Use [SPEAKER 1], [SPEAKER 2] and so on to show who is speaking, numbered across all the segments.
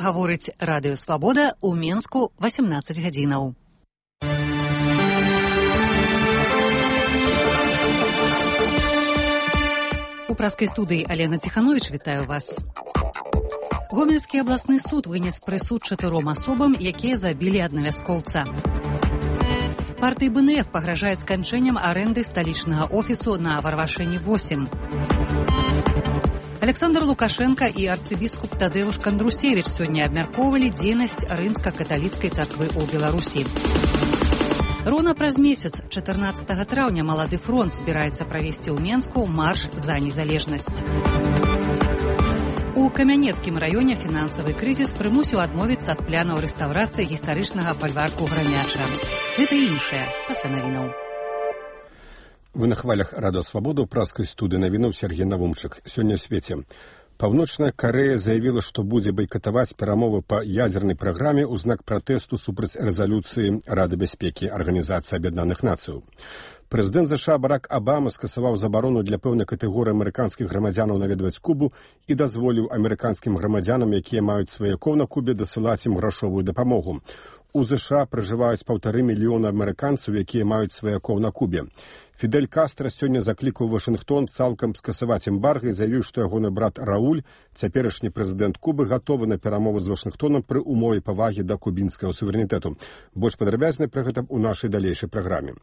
[SPEAKER 1] гаворыць Радыё Свабода ў Менску 18 гадзінаў. У праскай студыі Алена Ціхановіч вітаю вас. Гомельскі абласны суд вынес прысуд 4 асобам, якія забілі аднавяскоўца. Партыі БНФ пагражаюць сканчэннем арэнды сталічнага офісу на Варвашэні 8. Александр Лукашенко і арцыбіскуп Тадэвуш Кандрусевіч сёння абмяркоўвалі дзейнасць рымска-каталіцкай царквы ў Беларусі. Роўна праз месяц, 14 траўня, Малады фронт збіраецца правесці ў Менску марш за незалежнасць. У Камянецкім раёне фінансавы крызіс прымусіў адмовіцца ад планаў рэстаўрацыі гістарычнага фальварку Грамяча. Гэта і іншае, пасля навінаў.
[SPEAKER 2] Вы на хвалях Радыё Свабода ў праскай студыі навінаў Сергей Навумчык. Сёння ў свеце. Паўночная Карэя заявіла, што будзе байкатаваць перамовы па ядзернай праграме ў знак пратэсту супраць рэзалюцыі Рады бяспекі Арганізацыі Аб'яднаных Нацыяў. Прэзідэнт ЗША Барак Абама скасаваў забарону для пэўнай катэгорыі амерыканскіх грамадзянаў наведваць Кубу і дазволіў амерыканскім грамадзянам, якія маюць сваякоў на Кубе, дасылаць ім грашовую дапамогу. У ЗША пражываюць 1,5 мільёна амерыканцаў, якія маюць сваякоў на Кубе. Фідель Кастра сёння заклікаў Вашынгтон цалкам скасаваць эмбарга і заявіў, што ягоны брат Рауль, цяперашні прэзідэнт Кубы, гатовы на перамовы з Вашынгтонам пры умове павагі да кубінскага суверэнітэту. Больш падрабязна пра гэта ў нашай далейшай праграме.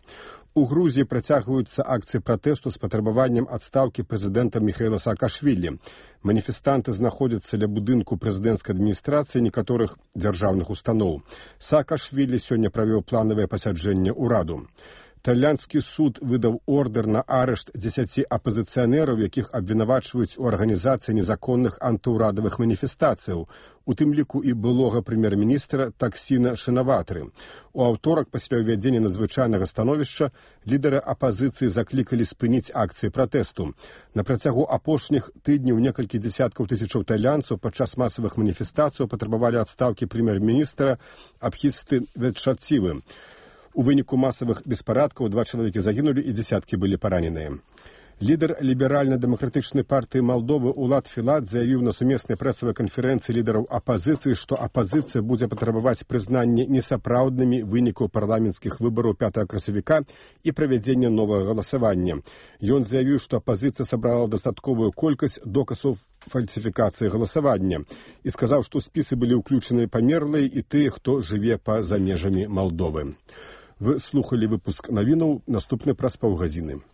[SPEAKER 2] У Грузіі працягваюцца акцыі пратэсту з патрабаваннем адстаўкі прэзідэнта Міхаіла Саакашвілі. Маніфестанты знаходзяцца ля будынку прэзідэнцкай адміністрацыі некаторых дзяржаўных устаноў. Саакашвілі сёння правёў планавае пасяджэнне ўраду. Тайландскі суд выдаў ордэр на арышт 10 апазіцыянераў, якіх абвінавачваюць у арганізацыі незаконных антыўрадавых маніфестацыяў, у тым ліку і былога прэм'ер-міністра Таксіна Шинаватры. У аўторак, пасля ўвядзення надзвычайнага становішча, лідары апазіцыі заклікалі спыніць акцыі пратэсту. На працягу апошніх тыдняў некалькі дзесяткаў тысячаў тайландцаў падчас масавых маніфестацыяў патрабавалі адстаўкі прэм'ер-міністра Абхісты Ветшацівы. У выніку масавых беспарадкаў 2 чалавекі загінулі і дзесяткі былі параненыя. Лідар ліберальна-дэмакратычнай партыі Малдовы Улад Філат заявіў на сумеснай прэсавай канферэнцыі лідараў апазіцыі, што апазіцыя будзе патрабаваць прызнання несапраўднымі вынікаў парламенцкіх выбараў 5 красавіка і правядзення новага галасавання. Ён заявіў, што апазіцыя сабрала дастатковую колькасць доказаў фальсіфікацыі галасавання і сказаў, што спісы былі ўключаны памерлыя і тыя, хто жыве па-за межамі Малдовы. Вы слухалі выпуск навінаў, наступны праз паўгадзіны.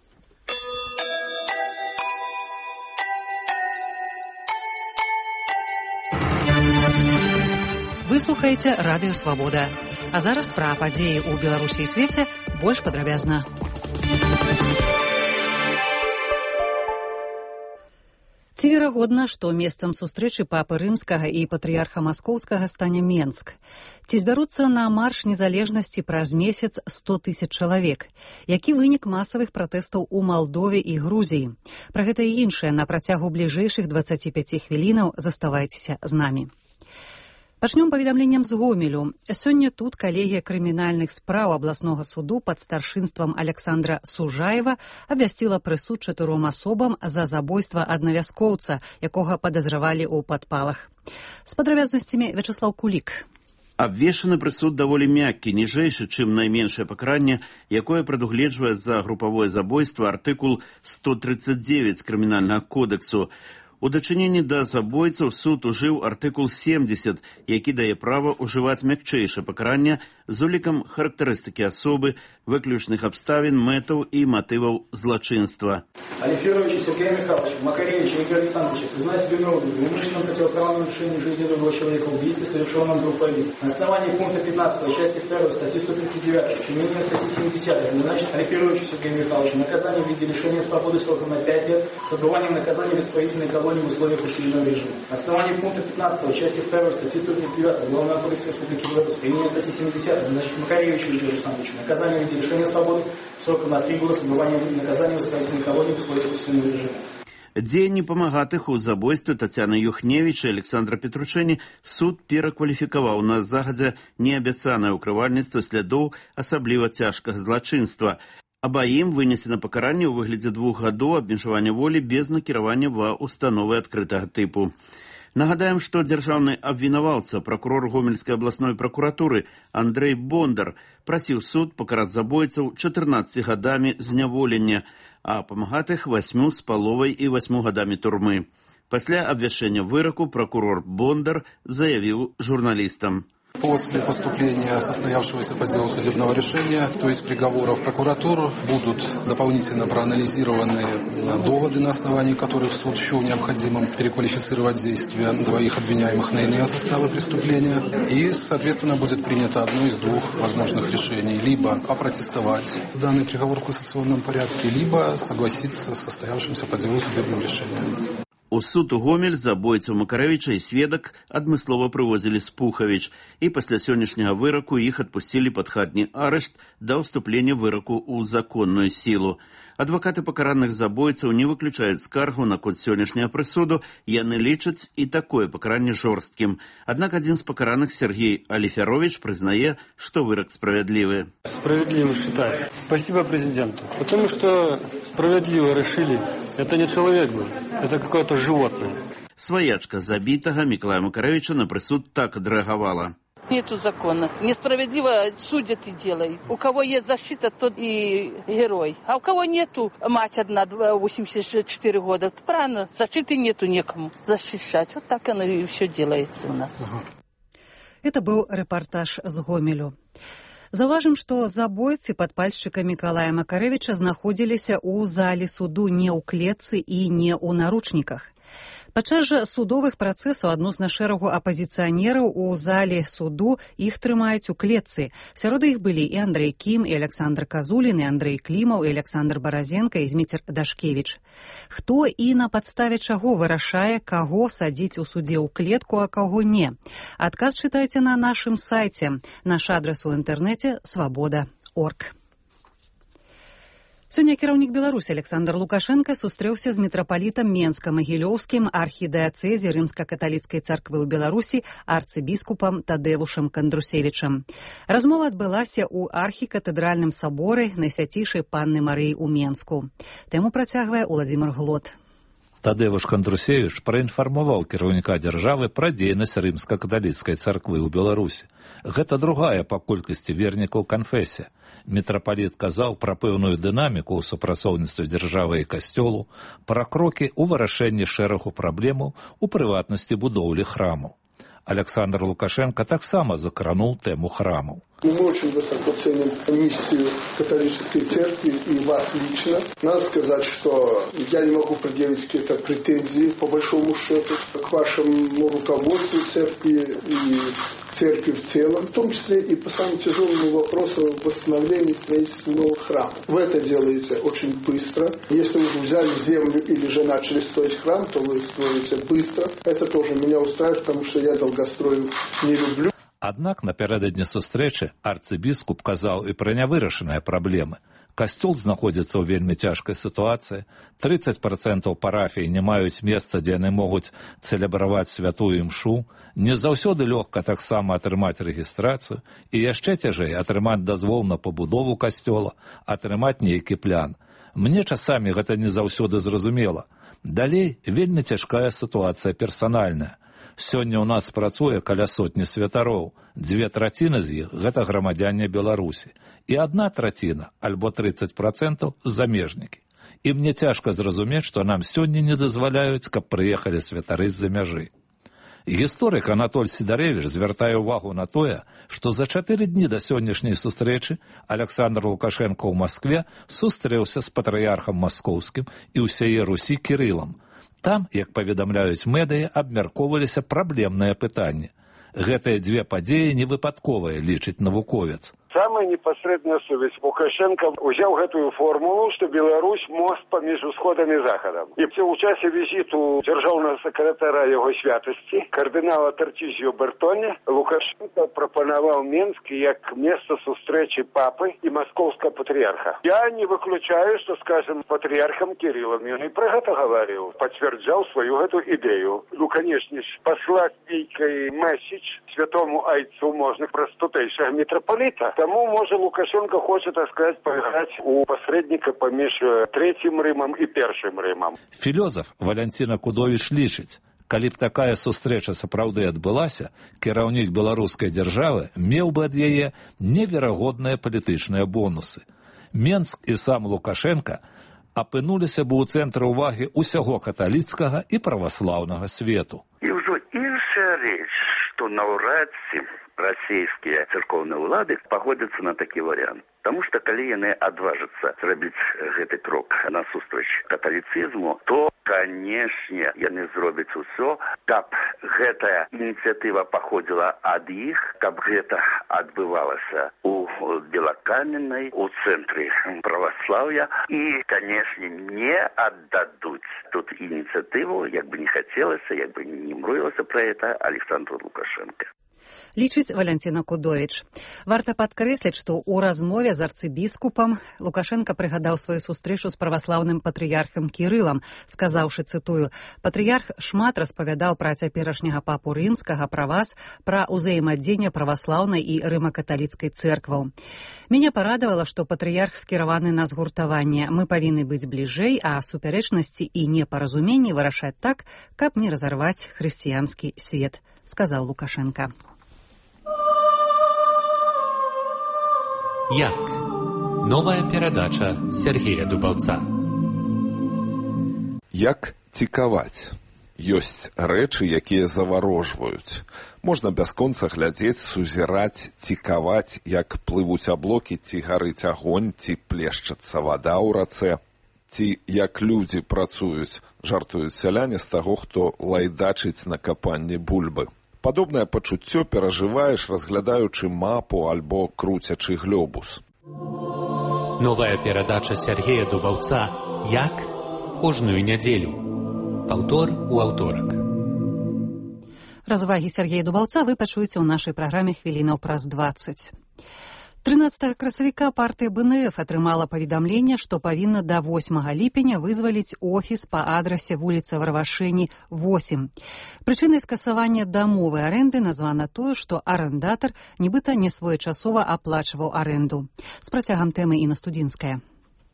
[SPEAKER 1] Вы слухаеце Радыё Свабода. А зараз пра падзеі ў Беларусі і свеце больш падрабязна. Ці верагодна, што месцам сустрэчы папы рымскага і патрыярха маскоўскага стане Менск? Ці збяруцца на марш незалежнасці праз месяц 100 000 чалавек? Які вынік масавых пратэстаў у Малдове і Грузіі? Пра гэта і іншае на працягу бліжэйшых 25 хвілінаў заставайцеся з намі. Пачнём паведамленнем з Гомелю. Сёння тут калегія крымінальных спраў абласнога суду пад старшынствам Александра Сужаева абвясціла прысуд 4 асобам за забойства аднавяскоўца, якога падазравалі ў падпалах. З падрабязнасцямі Вячеслав Кулік.
[SPEAKER 3] Абвешчаны прысуд даволі мяккі, ніжэйшы, чым найменшае пакаранне, якое прадугледжвае за групавое забойства артыкул 139 крымінальнага кодексу. У дачыненні да забойцаў суд ужыў артыкул 70, які дае права ўжываць мякчэйшае пакаранне з улікам характарыстыкі асобы, выключных абставін, мэтаў і матываў злачынства.
[SPEAKER 4] Алиферовичу Сергею Михайловичу, Макаревичу Игорю Александровичу, признать себя виновным в умышленном противоправном нарушении жизни другого человека, убийстве, совершенном группой лиц. На основании пункта 15 части 2 статьи 139, применение статьи 70, назначить Алиферовичу Сергею Михайловичу наказание в виде лишения свободы сроком на 5 лет с отбыванием наказания в исправительной колонии в условиях усиленного режима. На основании пункта 15 части 2 статьи 139 Уголовного кодекса Республики Беларусь, применение статьи 70, назначить Макаревичу Игорю Александровичу наказание в виде лишения свободы сроком на 3 года с отбыванием наказания в исправительной колонии в условиях усиленного режима.
[SPEAKER 3] Дзеянні памагатых у забойстве Тацяны Юхневіч і Александра Петручэні суд перакваліфікаваў на загадзя неабяцанае ўкрывальніцтва слядоў асабліва цяжкага злачынства. Абаім вынесена пакаранне ў выглядзе 2 гадоў абмежавання волі без накіравання ва ўстановы адкрытага тыпу. Нагадаем, што дзяржаўны абвінаваўца, пракурор Гомельскай абласной пракуратуры Андрэй Бондар прасіў суд пакараць забойцаў 14 гадамі зняволення, а памагатых 8,5 і 8 гадамі турмы. Пасля абвяшчэння выраку прокурор Бондар заявил журналистам.
[SPEAKER 5] После поступления состоявшегося по делу судебного решения, то есть приговоров прокуратуру, будут дополнительно проанализированы доводы, на основании которых суд счел необходимым переквалифицировать действия двоих обвиняемых на иные составы преступления. И, соответственно, будет принято одно из двух возможных решений. Либо опротестовать данный приговор в кассационном порядке, либо согласиться с состоявшимся по делу судебным решением.
[SPEAKER 3] У суд у Гомель забойцаў Макарэвіча і сведак адмыслова прывозілі з Пухавіч, і пасля сённяшняга выраку іх адпусцілі пад хатні арышт да ўступлення выраку ў законную сілу. Адвакаты пакараных забойцаў не выключаюць скаргу наконт сённяшняга прысуду, яны лічаць і такое пакаранне жорсткім. Аднак адзін з пакараных, Сергей Алиферович, прызнае, што вырак справядлівы.
[SPEAKER 6] Справедливо считаю. Спасибо президенту. Потому что справедливо решили. Это не человек был, это какое-то животное.
[SPEAKER 3] Своячка забітага Миколая Макарэвіча на прысуд так адрэагавала.
[SPEAKER 7] Нету закона. Несправедливо судят и делают. У кого есть защита, тот и герой. А у кого нету, мать одна, 84 года. Правильно, защиты нету некому защищать. Вот так оно и все делается у нас.
[SPEAKER 1] Это был репортаж з Гомелю. Заўважым, што забойцы падпальшчыка Мікалая Макарэвіча знаходзіліся ў зале суду не ў клетцы і не ў наручніках. Падчас жа судовых працэсаў адносна шэрагу апазіцыянераў у зале суду іх трымаюць у клетцы. Сярод іх былі і Андрэй Кім, і Александр Казулін, і Андрэй Клімаў, і Александр Баразенка, і Зміцер Дашкевіч. Хто і на падставе чаго вырашае, каго садзіць у судзе ў клетку, а каго не? Адказ чытайце на нашым сайце. Наш адрас у інтэрнэце свабода.орг. Сёння кіраўнік Беларусі Александр Лукашенко сустрэўся з мітрапалітам Менска-Магілёўскім архідыяцэзе рымска-каталіцкай царквы ў Беларусі арцыбіскупам Тадэвушам Кандрусевічам. Размова адбылася ў архікатэдральным саборы Найсвяцейшай Панны Марыі ў Менску. Тэму працягвае Уладзімир Глот.
[SPEAKER 8] Тадэвуш Кандрусевіч праінфармаваў кіраўніка дзяржавы пра дзейнасць рымска-каталіцкай царквы ў Беларусі. Гэта другая па колькасці вернікаў канфесія. Мітрапаліт казаў пра пэўную дынаміку ў супрацоўніцтве дзяржавы і касцёлу, пра крокі ў вырашэнні шэрагу праблемаў, у прыватнасці будоўлі храмаў. Александр Лукашенко таксама закранул тему храмов.
[SPEAKER 9] Мы очень высоко ценим миссию католической церкви и вас лично. Надо сказать, что я не могу предъявить какие-то претензии, по большому счету, к вашему руководству церкви и церкви в целом, в том числе и по самому тяжелому вопросу восстановления строительства новых храмов. В это делается очень быстро. Если вы взяли землю или же начали строить храм, то вы строите быстро. Это тоже меня устраивает, потому что я долгострою не люблю.
[SPEAKER 8] Аднак напярэдадні сустрэчы арцыбіскуп казаў і пра нявырашаныя праблемы. Касцёл знаходзіцца ў вельмі цяжкай сітуацыі, 30% парафій не маюць месца, дзе яны могуць цэлебраваць святую імшу, не заўсёды лёгка таксама атрымаць рэгістрацыю і яшчэ цяжэй атрымаць дазвол на пабудову касцёла, атрымаць нейкі плян. Мне часамі гэта не заўсёды зразумела. Далей вельмі цяжкая сітуацыя персанальная. Сёння ў нас працуе каля сотні святароў, 2/3 з іх – гэта грамадзяне Беларусі, і 1/3, альбо 30% – замежнікі. І мне цяжка зразумець, што нам сёння не дазваляюць, каб прыехалі святары з-за мяжы. Гісторык Анатоль Сідарэвіч звяртае ўвагу на тое, што за 4 дні да сённяшняй сустрэчы Александр Лукашенко ў Маскве сустрэўся з патрыярхам маскоўскім і ўсяе Русі Кірылам. Там, як паведамляюць медыі, абмяркоўваліся праблемныя пытанні. Гэтыя дзве падзеі невыпадковыя, лічыць навуковец.
[SPEAKER 10] Самая непосредная сувязь. Лукашенко взял эту формулу, что Беларусь мост поміж Усходом и Заходом. И в часе визиту державного секретаря его святости, кардинала Тартізіо Бертоні, Лукашенко пропонував Минск как место встречи папы и московского патриарха. Я не выключаю, что, скажем, патриархом Кириллом, он и про это говорил, подтверждал свою эту идею. Ну, конечно, послать некий месседж святому Айцу можно простутейшего митрополита. Тому, може, Лукашенко хоче, так сказать, поиграть у посредника поміж Третьим Римом и Першим Римом.
[SPEAKER 8] Філёзаф Валянціна Кудовіч лічыць, Калі б такая сустрэча сапраўды адбылася, кіраўнік беларускай дзяржавы меў бы ад яе неверагодныя палітычныя бонусы. Менск і сам Лукашенка апынуліся б у цэнтры ўвагі ўсяго каталіцкага і праваслаўнага свету.
[SPEAKER 11] І ўжо іншая рэч, што наўрад ці расійскія царкоўныя ўлады пагодзяцца на такі варыянт. Таму што калі яны адважацца зрабіць гэты крок насустрач каталіцызму, то, канешне, яны зробяць усё, каб гэтая ініцыятыва паходзіла ад іх, каб гэта адбывалася у Белакаменнай, у цэнтры праваслаўя і, канешне, не аддадуць тут ініцыятыву, як бы не хацелася, як бы не мрыялася пра гэта Александру Лукашенко.
[SPEAKER 1] Лічыць Валянціна Кудовіч. Варта падкрэсліць, што ў размове з арцыбіскупам Лукашенка прыгадаў сваю сустрэчу з праваслаўным патрыярхам Кірылам, сказаўшы, цытую, «Патрыярх шмат распавядаў пра цяперашняга папу рымскага, пра вас, пра ўзаемадзеянне праваслаўнай і рыма-каталіцкай цэркваў. Мяне парадавала, што патрыярх скіраваны на згуртаванне. Мы павінны быць бліжэй, а супярэчнасці і непаразуменні вырашаць так, каб не разарваць хрысціянскі свет», сказаў Лукашенка.
[SPEAKER 12] Як? Новая перадача Сергея Дубаўца.
[SPEAKER 13] Як цікаваць? Ёсць рэчы, якія заварожваюць. Можна бясконца глядзець, сузіраць, цікаваць, як плывуць аблокі, ці гарыць агонь, ці плешчацца вада ў рацэ, ці як людзі працуюць, жартуюць сяляне з таго, хто лайдачыць на капанні бульбы. Падобнае пачуццё перажываеш, разглядаючы мапу альбо круцячы глёбус.
[SPEAKER 12] Новая перадача Сергея Дубаўца «Як?» кожную нядзелю. Паўтор у аўторак.
[SPEAKER 1] Развагі Сергея Дубаўца вы пачуеце ў нашай праграме хвілінаў праз 20. 13 красавіка партыя БНФ атрымала паведамленне, што павінна да 8 ліпеня вызваліць офіс па адрасе вуліца Варвашэні, 8. Прычынай скасавання дамовы арэнды названа тое, што арандатар нібыта несвоечасова аплачваў арэнду. З працягам тэмы Інна Студзінская.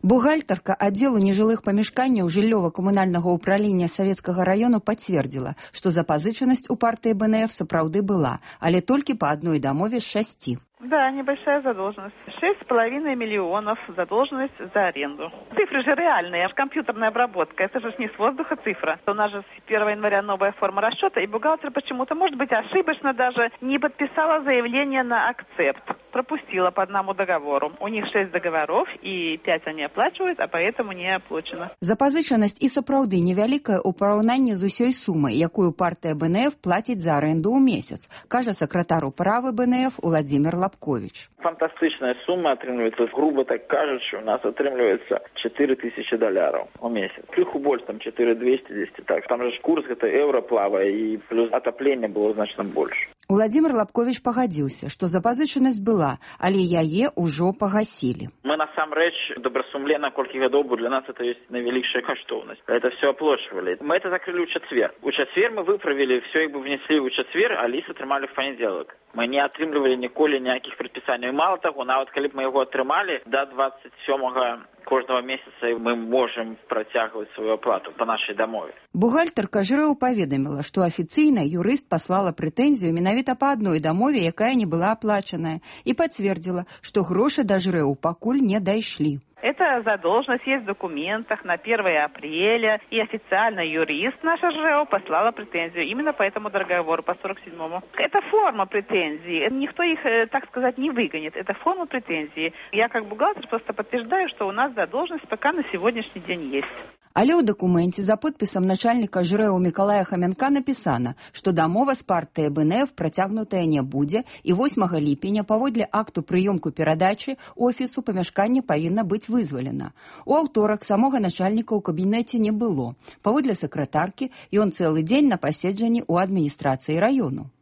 [SPEAKER 14] Бухгалтарка аддзелу нежылых памяшканняў жыллёва-камунальнага ўправлення Савецкага раёну пацвердзіла, што запазычанасць у партыі БНФ сапраўды была, але толькі па адной дамове з 6.
[SPEAKER 15] Да, небольшая задолженность. 6,5 миллионов задолженность за аренду. Цифры же реальные, компьютерная обработка. Это же не с воздуха цифра. У нас же с 1 января новая форма расчета, и бухгалтер почему-то, может быть, ошибочно даже не подписала заявление на акцепт. Пропустила по одному договору. У них 6 договоров, и 5 они оплачивают, а поэтому не оплачено.
[SPEAKER 14] Запазычанасць і сапраўды невялікая ў параўнанні з усёй сумай, якую партыя БНФ плаціць за аренду ў месяц, кажа сакратар управы БНФ Владимир Лапкович.
[SPEAKER 16] Фантастычная сума атрымліваецца, грубо так кажучи, у нас атрымліваецца $4000 у месяц. Крыху больше, там 4200, так. Там же курс гэта евро плавае, і плюс отопление было значна больше.
[SPEAKER 14] Владимир Лапкович пагадзіўся, што запазычанасць была, але яе ўжо пагасілі.
[SPEAKER 16] Мы насамрэч добрасумленно, колькі гадоў, бо для нас это есть наивеликшая каштоўнасць. Это все оплачивали. Мы это закрыли у четверг. У четверг мы выправили, все как бы внесли у четверг, а ліс атрымалі в понедельник. Мы не атрымлівалі ніколі ніякіх прадпісанняў. Мало того, нават калі б мы яго атрымалі, до 27-го кожного месяца мы можем працягваць сваю аплату по нашай дамове.
[SPEAKER 14] Бухгалтарка ЖРЭУ паведаміла, што афіцыйна юрыст паслала прэтэнзію менавіта па адной дамове, якая не была аплачаная, і пацвердзіла, што грошы да ЖРЭУ пакуль не дайшлі.
[SPEAKER 15] Эта задолженность есть в документах на 1 апреля, и официально юрист наша ЖЭО послала претензию именно по этому договору, по 47-му. Это форма претензий. Никто их, так сказать, не выгонит. Это форма претензии. Я как бухгалтер просто подтверждаю, что у нас задолженность пока на сегодняшний день есть.
[SPEAKER 14] Але ў дакуменце за подпісам начальніка ЖРЭУ Мікалая Хамянка напісана, што дамова з партыяй БНФ працягнутая не будзе, і 8 ліпеня паводле акту прыёмку перадачы офісу памяшкання павінна быць вызвалена. У аўторак самога начальніка ў кабінеце не было. Паводле сакратаркі, ён цэлы дзень на паседжанні ў адміністрацыі раёну.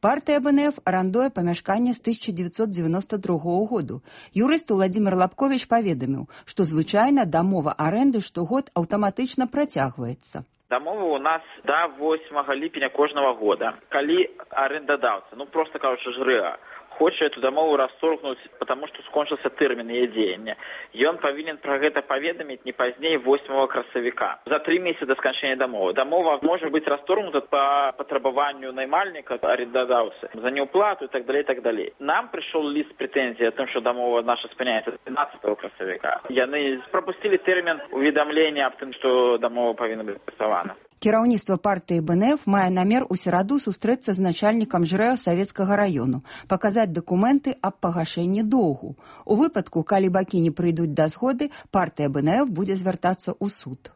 [SPEAKER 14] Партыя БНФ арандуе памяшканне з 1992 году. Юрыст Владимир Лапкович паведаміў, што звычайна дамова арэнды штогод аўтаматычна працягваецца.
[SPEAKER 16] Дамова у нас до 8 ліпеня кожного года. Калі арендадаўца, просто кажучы, ЖРЭА, хоча эту дамову расторгнуць, потому што скончыўся тэрмін яе дзеяння. Ён павінен пра гэта паведаміць не пазней 8 красавіка. За 3 месяцы да сканчэння дамовы. Дамова можа быць расторгнута па патрабаванню наймальніка, арендадаўцы, за неуплату і так далей, так далей. Нам прыйшоў ліст прэтэнзій о том, што дамова наша спыняецца 15 красавіка. Яны прапусцілі тэрмін уведамлення аб тым, што дамова павінна быць працавана.
[SPEAKER 14] Кіраўніцтва партыі БНФ мае намер у сераду сустрэцца з начальнікам ЖРЭО Савецкага раёну, паказаць дакументы аб пагашэнні доўгу. У выпадку, калі бакі не прыйдуць да згоды, партыя БНФ будзе звяртацца ў суд.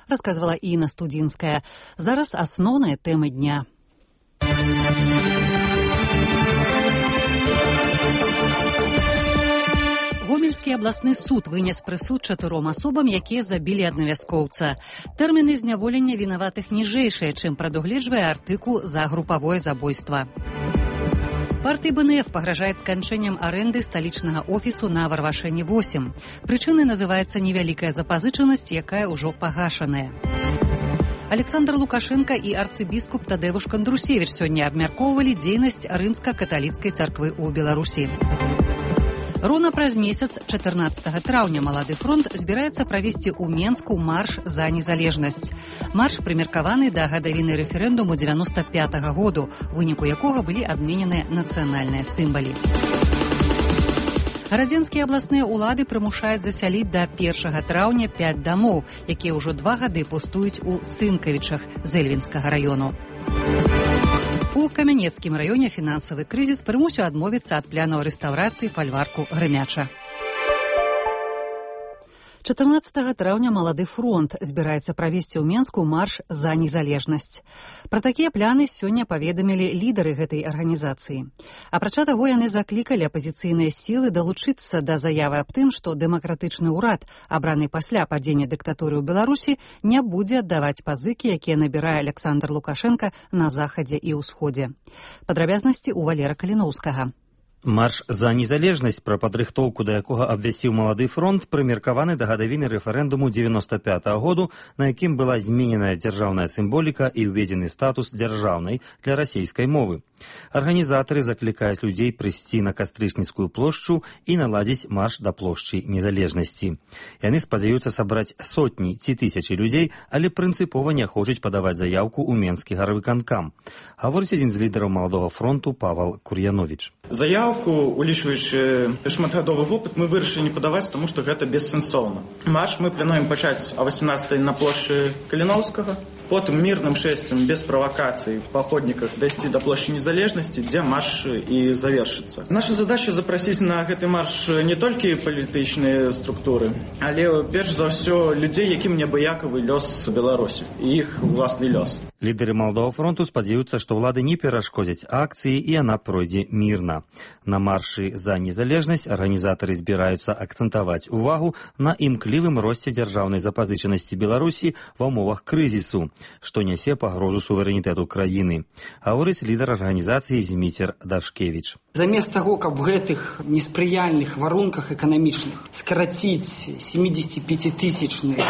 [SPEAKER 1] Расказвала Інна Студзінская. Зараз асноўныя тэмы дня. Гомельскі абласны суд вынес прысуд 4 асобам, якія забілі аднавяскоўца. Тэрміны зняволення вінаватых ніжэйшыя, чым прадугледжвае артыкул за групавое забойства. Партыі БНФ пагражаюць сканчэннем арэнды сталічнага офісу на Варвашэні 8. Прычынай называецца невялікая запазычанасць, якая ўжо пагашаная. Александр Лукашенко і арцыбіскуп Тадеуш Кандрусевіч сёння абмяркоўвалі дзейнасць рымска-каталіцкай царквы ў Беларусі. Роўна праз месяц, 14 траўня, Малады фронт збіраецца правесці ў Менску марш за незалежнасць. Марш прымеркаваны да гадавіны рэферэндуму 95-го году, у выніку якога былі адмененыя нацыянальныя сімвалы. Гарадзенскія абласныя ўлады прымушаюць засяліць да 1 траўня 5 дамоў, якія ўжо 2 гады пустуюць у Сынкавічах з Эльвінскага раёну. У Камянецкім раёне фінансавы крызіс прымусіў адмовіцца ад планаў рэстаўрацыі фальварку Грымяча. 14 траўня Малады фронт збіраецца правесці ў Менску марш за незалежнасць. Пра такія пляны сёння паведамілі лідары гэтай арганізацыі. Апрача таго, яны заклікалі апазіцыйныя сілы далучыцца да заявы аб тым, што дэмакратычны ўрад, абраны пасля падзення дыктатуры ў Беларусі, не будзе аддаваць пазыкі, якія набірае Александр Лукашенко на захадзе і ўсходзе. Падрабязнасці ў Валера Каліноўскага.
[SPEAKER 17] Марш за незалежнасць, пра падрыхтоўку да якога абвясціў Малады фронт, прымеркаваны да гадавіны рэферэндуму 95-го году, на якім была змененая дзяржаўная сімволіка і ўведзены статус дзяржаўнай для расейскай мовы. Арганізатары заклікаюць людзей прыйсці на Кастрычніцкую плошчу і наладзіць марш да плошчы незалежнасці. Яны спадзяюцца сабраць сотні ці тысячы людзей, але прынцыпова не хочуць падаваць заяўку ў Менскі гарвыканкам. Гаворыць адзін з лідараў Маладога фронту Павал Кур'яновіч.
[SPEAKER 18] Заяўку, улічваючы шматгадовы вопыт, мы вырашылі не падаваць, таму што гэта бессэнсоўна. Марш мы плануем пачаць о 18-й на плошчы Каліноўскага, потым мірным шэсцем, без правакацый, па ходніках дайсці да плошчы незалежнасці, дзе марш і завершыцца. Наша задача запрасіць на гэты марш не толькі палітычныя структуры, але перш за ўсё людзей, якім неабыякавы лёс Беларусі і іх уласны лёс.
[SPEAKER 17] Лідары Маладога фронту спадзяюцца, што ўлады не перашкодзяць акцыі і яна пройдзе мірна. На маршы за незалежнасць арганізатары збіраюцца акцэнтаваць увагу на імклівым росце дзяржаўнай запазычанасці Беларусі ва ўмовах крызісу, што нясе пагрозу суверэнітэту краіны. Гаворыць лідар арганізацыі Зміцер Дашкевіч.
[SPEAKER 19] Замест таго, каб в гэтых неспрыяльных варунках эканамічных скараціць 75-тысячны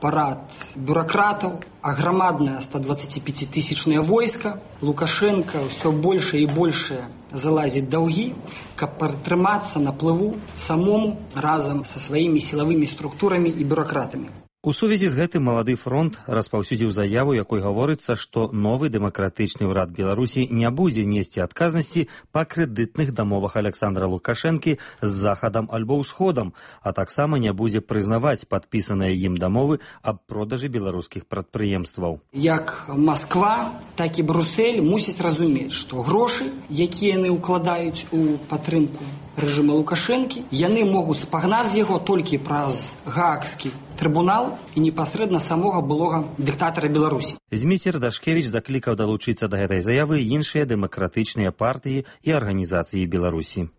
[SPEAKER 19] парад бюракратаў, а грамаднае 125-тысячнае войска, Лукашенко ўсё большае і большае залазіць даўгі, каб пратрымацца на плыву самому разам са сваімі сілавымі структурамі і бюракратамі.
[SPEAKER 17] У сувязі з гэтым Малады фронт распаўсюдзіў заяву, якой гаворыцца, што новы дэмакратычны ўрад Беларусі не будзе несці адказнасці па крэдытных дамовах Александра Лукашэнкі з захадам альбо ўсходам, а таксама не будзе прызнаваць падпісаныя ім дамовы аб продажы беларускіх прадпрыемстваў.
[SPEAKER 19] Як Масква, так і Брюссель мусяць разумець, што грошы, якія яны ўкладаюць у падтрымку рэжыма Лукашэнкі, яны могуць спагнаць з яго толькі праз Гаагскі трыбунал і непасрэдна самога былога дыктатара Беларусі.
[SPEAKER 17] Зміцер Дашкевіч заклікаў далучыцца да гэтай заявы іншыя дэмакратычныя партыі і арганізацыі Беларусі.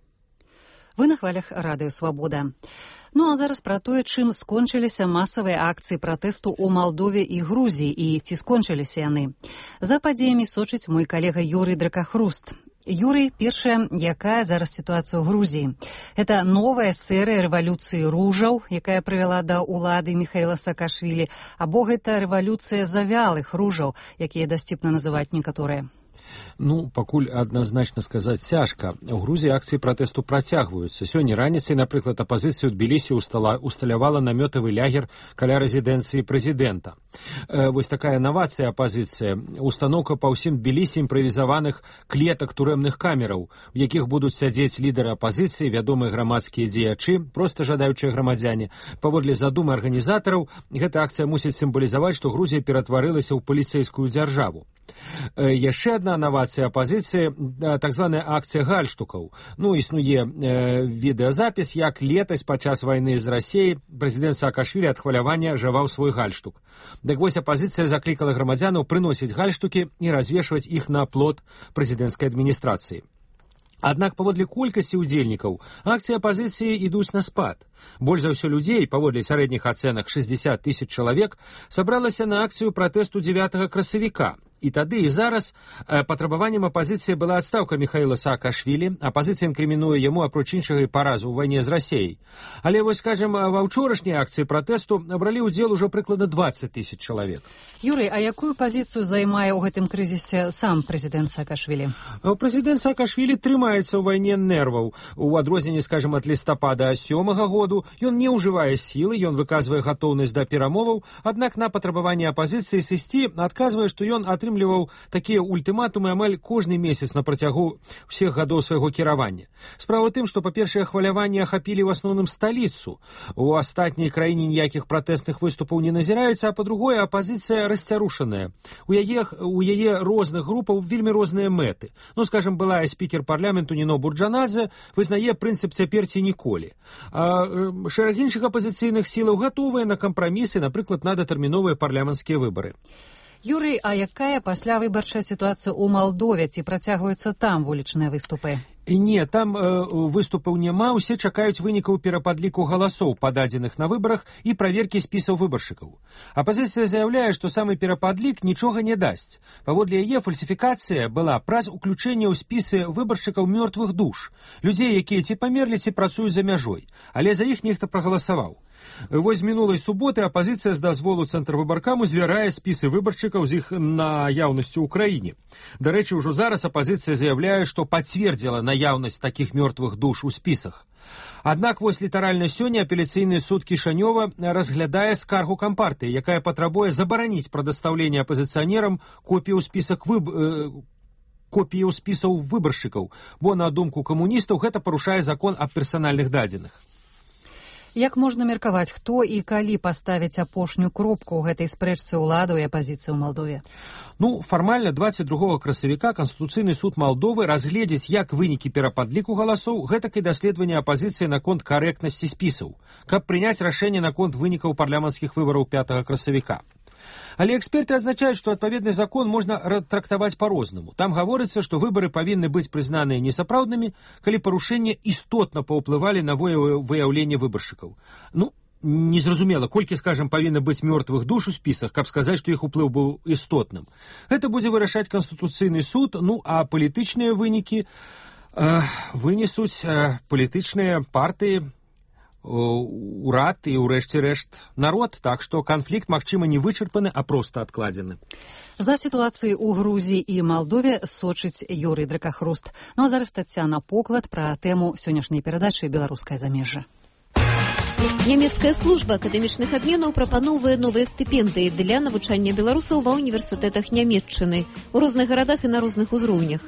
[SPEAKER 1] Вы на хвалях Радыё Свабода. Ну а зараз пра тое, чым скончыліся масавыя акцыі пратэсту ў Малдове і Грузіі і ці скончыліся яны. За падзеямі сочыць мой калега Юрый Дракахруст. Юрый, першая, якая зараз сітуацыя ў Грузіі? Гэта новая серыя рэвалюцыі ружаў, якая прывяла да ўлады Міхаіла Саакашвілі, або гэта рэвалюцыя завялых ружаў, якія дасціпна называюць некаторыя?
[SPEAKER 20] Пакуль адназначна сказаць цяжка. У Грузіі акцыі пратэсту працягваюцца. Сёння раніцай, напрыклад, апазіцыя ў Тбілісі усталявала намётавы лягер каля рэзідэнцыі прэзідэнта. Вось такая навацыя апазіцыя. Устаноўка па ўсім Тбілісі імправізаваных клетак турэмных камераў, у якіх будуць сядзець лідары апазіцыі, вядомыя грамадскія дзеячы, проста жадаючыя грамадзяне. Паводле задумы арганізатараў, гэта акцыя мусіць сімвалізаваць, што Грузія ператварылася ў паліцэйскую дзяржаву. Яшчэ адна навацыя апазіцыі, так званая акцыя гальштукаў. Існуе відэазапіс, як летась падчас вайны з Расіяй прэзідэнт Саакашвілі ад хвалявання жаваў свой гальштук. Дык вось апазіцыя заклікала грамадзянаў прыносіць гальштукі і развешваць іх на плот прэзідэнцкай адміністрацыі. Аднак паводле колькасці ўдзельнікаў акцыі апазіцыі ідуць на спад. Больш за ўсё людзей, паводле сярэдніх ацэнак 60 000 чалавек, сабралася на акцыю пратэсту 9 красавіка. І тады і зараз патрабаваннем апазіцыі была адстаўка Міхаіла Саакашвілі. Апазіцыя інкрымінуе яму, апроч іншага, і паразу ў вайне з Расіяй. Але вось, скажем, ва ўчорашняй акцыі пратэсту бралі ўдзел ужо прыкладна 20 000 чалавек.
[SPEAKER 1] Юрый, а якую пазіцыю займае ў гэтым крызісе сам прэзідэнт Саакашвілі?
[SPEAKER 20] Прэзідэнт Саакашвілі трымаецца ў вайне нерваў. У адрозненні, скажем, ад лістапада 7-го году ён не ўжывае сілы, ён выказвае гатоўнасць да перамоваў, аднак на патрабаванне апазіцыі сысці адказвае, што ён атрымліваў такія ультыматумы амаль кожны месяц на працягу ўсіх гадоў свайго кіравання. Справа ў тым, што, па-першае, хваляванні ахапілі ў асноўным сталіцу. У астатняй краіне ніякіх пратэстных выступаў не назіраецца, а па-другое, апазіцыя расцярушаная. У яе розных групаў вельмі розныя мэты. Скажем, былая спікер парламенту Ніно Бурджанадзе вызнае прынцып «цяпер ці ніколі». А шэраг іншых апазіцыйных сілаў гатовыя на кампрамісы, напрыклад, на датэрміновыя парламенцкія выбары.
[SPEAKER 1] Юрый, а якая паслявыбарчая сітуацыя ў Малдове? Ці працягваюцца там вулічныя выступы?
[SPEAKER 20] Не, там выступаў няма, усе чакаюць вынікаў перападліку галасоў, пададзеных на выбарах, і праверкі спісаў выбаршчыкаў. Апазіцыя заяўляе, што самы перападлік нічога не дасць. Паводле яе фальсіфікацыя была праз уключэнне ў спісы выбаршчыкаў мёртвых душ, людзей, якія ці памерлі, ці працуюць за мяжой, але за іх нехта прагаласаваў. Вось з мінулай суботы апазіцыя з дазволу цэнтрвыбаркаму звярае спісы выбаршчыкаў з іх наяўнасцю ў краіне. Дарэчы, ужо зараз апазіцыя заяўляе, што пацвердзіла наяўнасць такіх мёртвых душ у спісах. Аднак вось літаральна сёння апеляцыйны суд Кішанёва разглядае скаргу кампартыі, якая патрабуе забараніць прадастаўленне апазіцыянерам копію спісаў выбаршчыкаў, бо, на думку камуністаў, гэта парушае закон аб персанальных дадзеных.
[SPEAKER 1] Як можна меркаваць, хто і калі паставіць апошнюю кропку ў гэтай спрэчцы ўладаў і апазіцыі ў Малдове?
[SPEAKER 20] Фармальна 22 красавіка Канстытуцыйны суд Малдовы разгледзіць як вынікі перападліку галасоў, гэтак і даследаванне апазіцыі наконт карэктнасці спісаў, каб прыняць рашэнне наконт вынікаў парламенцкіх выбараў 5 красавіка. Але эксперты адзначаюць, што адпаведны закон можна трактаваць па-рознаму. Там гаворыцца, што выбары павінны быць прызнаныя несапраўднымі, калі парушэнні істотна паўплывалі на выяўленне выбаршчыкаў. Незразумела, колькі, скажем, павінна быць мёртвых душ у спісах, каб сказаць, што іх уплыў быў істотным. Гэта будзе вырашаць Канстытуцыйны суд, а палітычныя вынікі вынесуць палітычныя партыі, урад і, урэшце рэшт, народ, так што канфлікт, магчыма, не вычарпаны, а проста адкладзены.
[SPEAKER 1] За сітуацыяй у Грузіі і Малдове сочыць Юрый Дракахруст. А зараз Таццяна Поклад пра тэму сённяшняй перадачы «Беларускае замежжа».
[SPEAKER 21] Нямецкая служба акадэмічных абменаў прапаноўвае новыя стыпендыі для навучання беларусаў ва ўніверсітэтах Нямецчыны у розных гарадах і на розных узроўнях.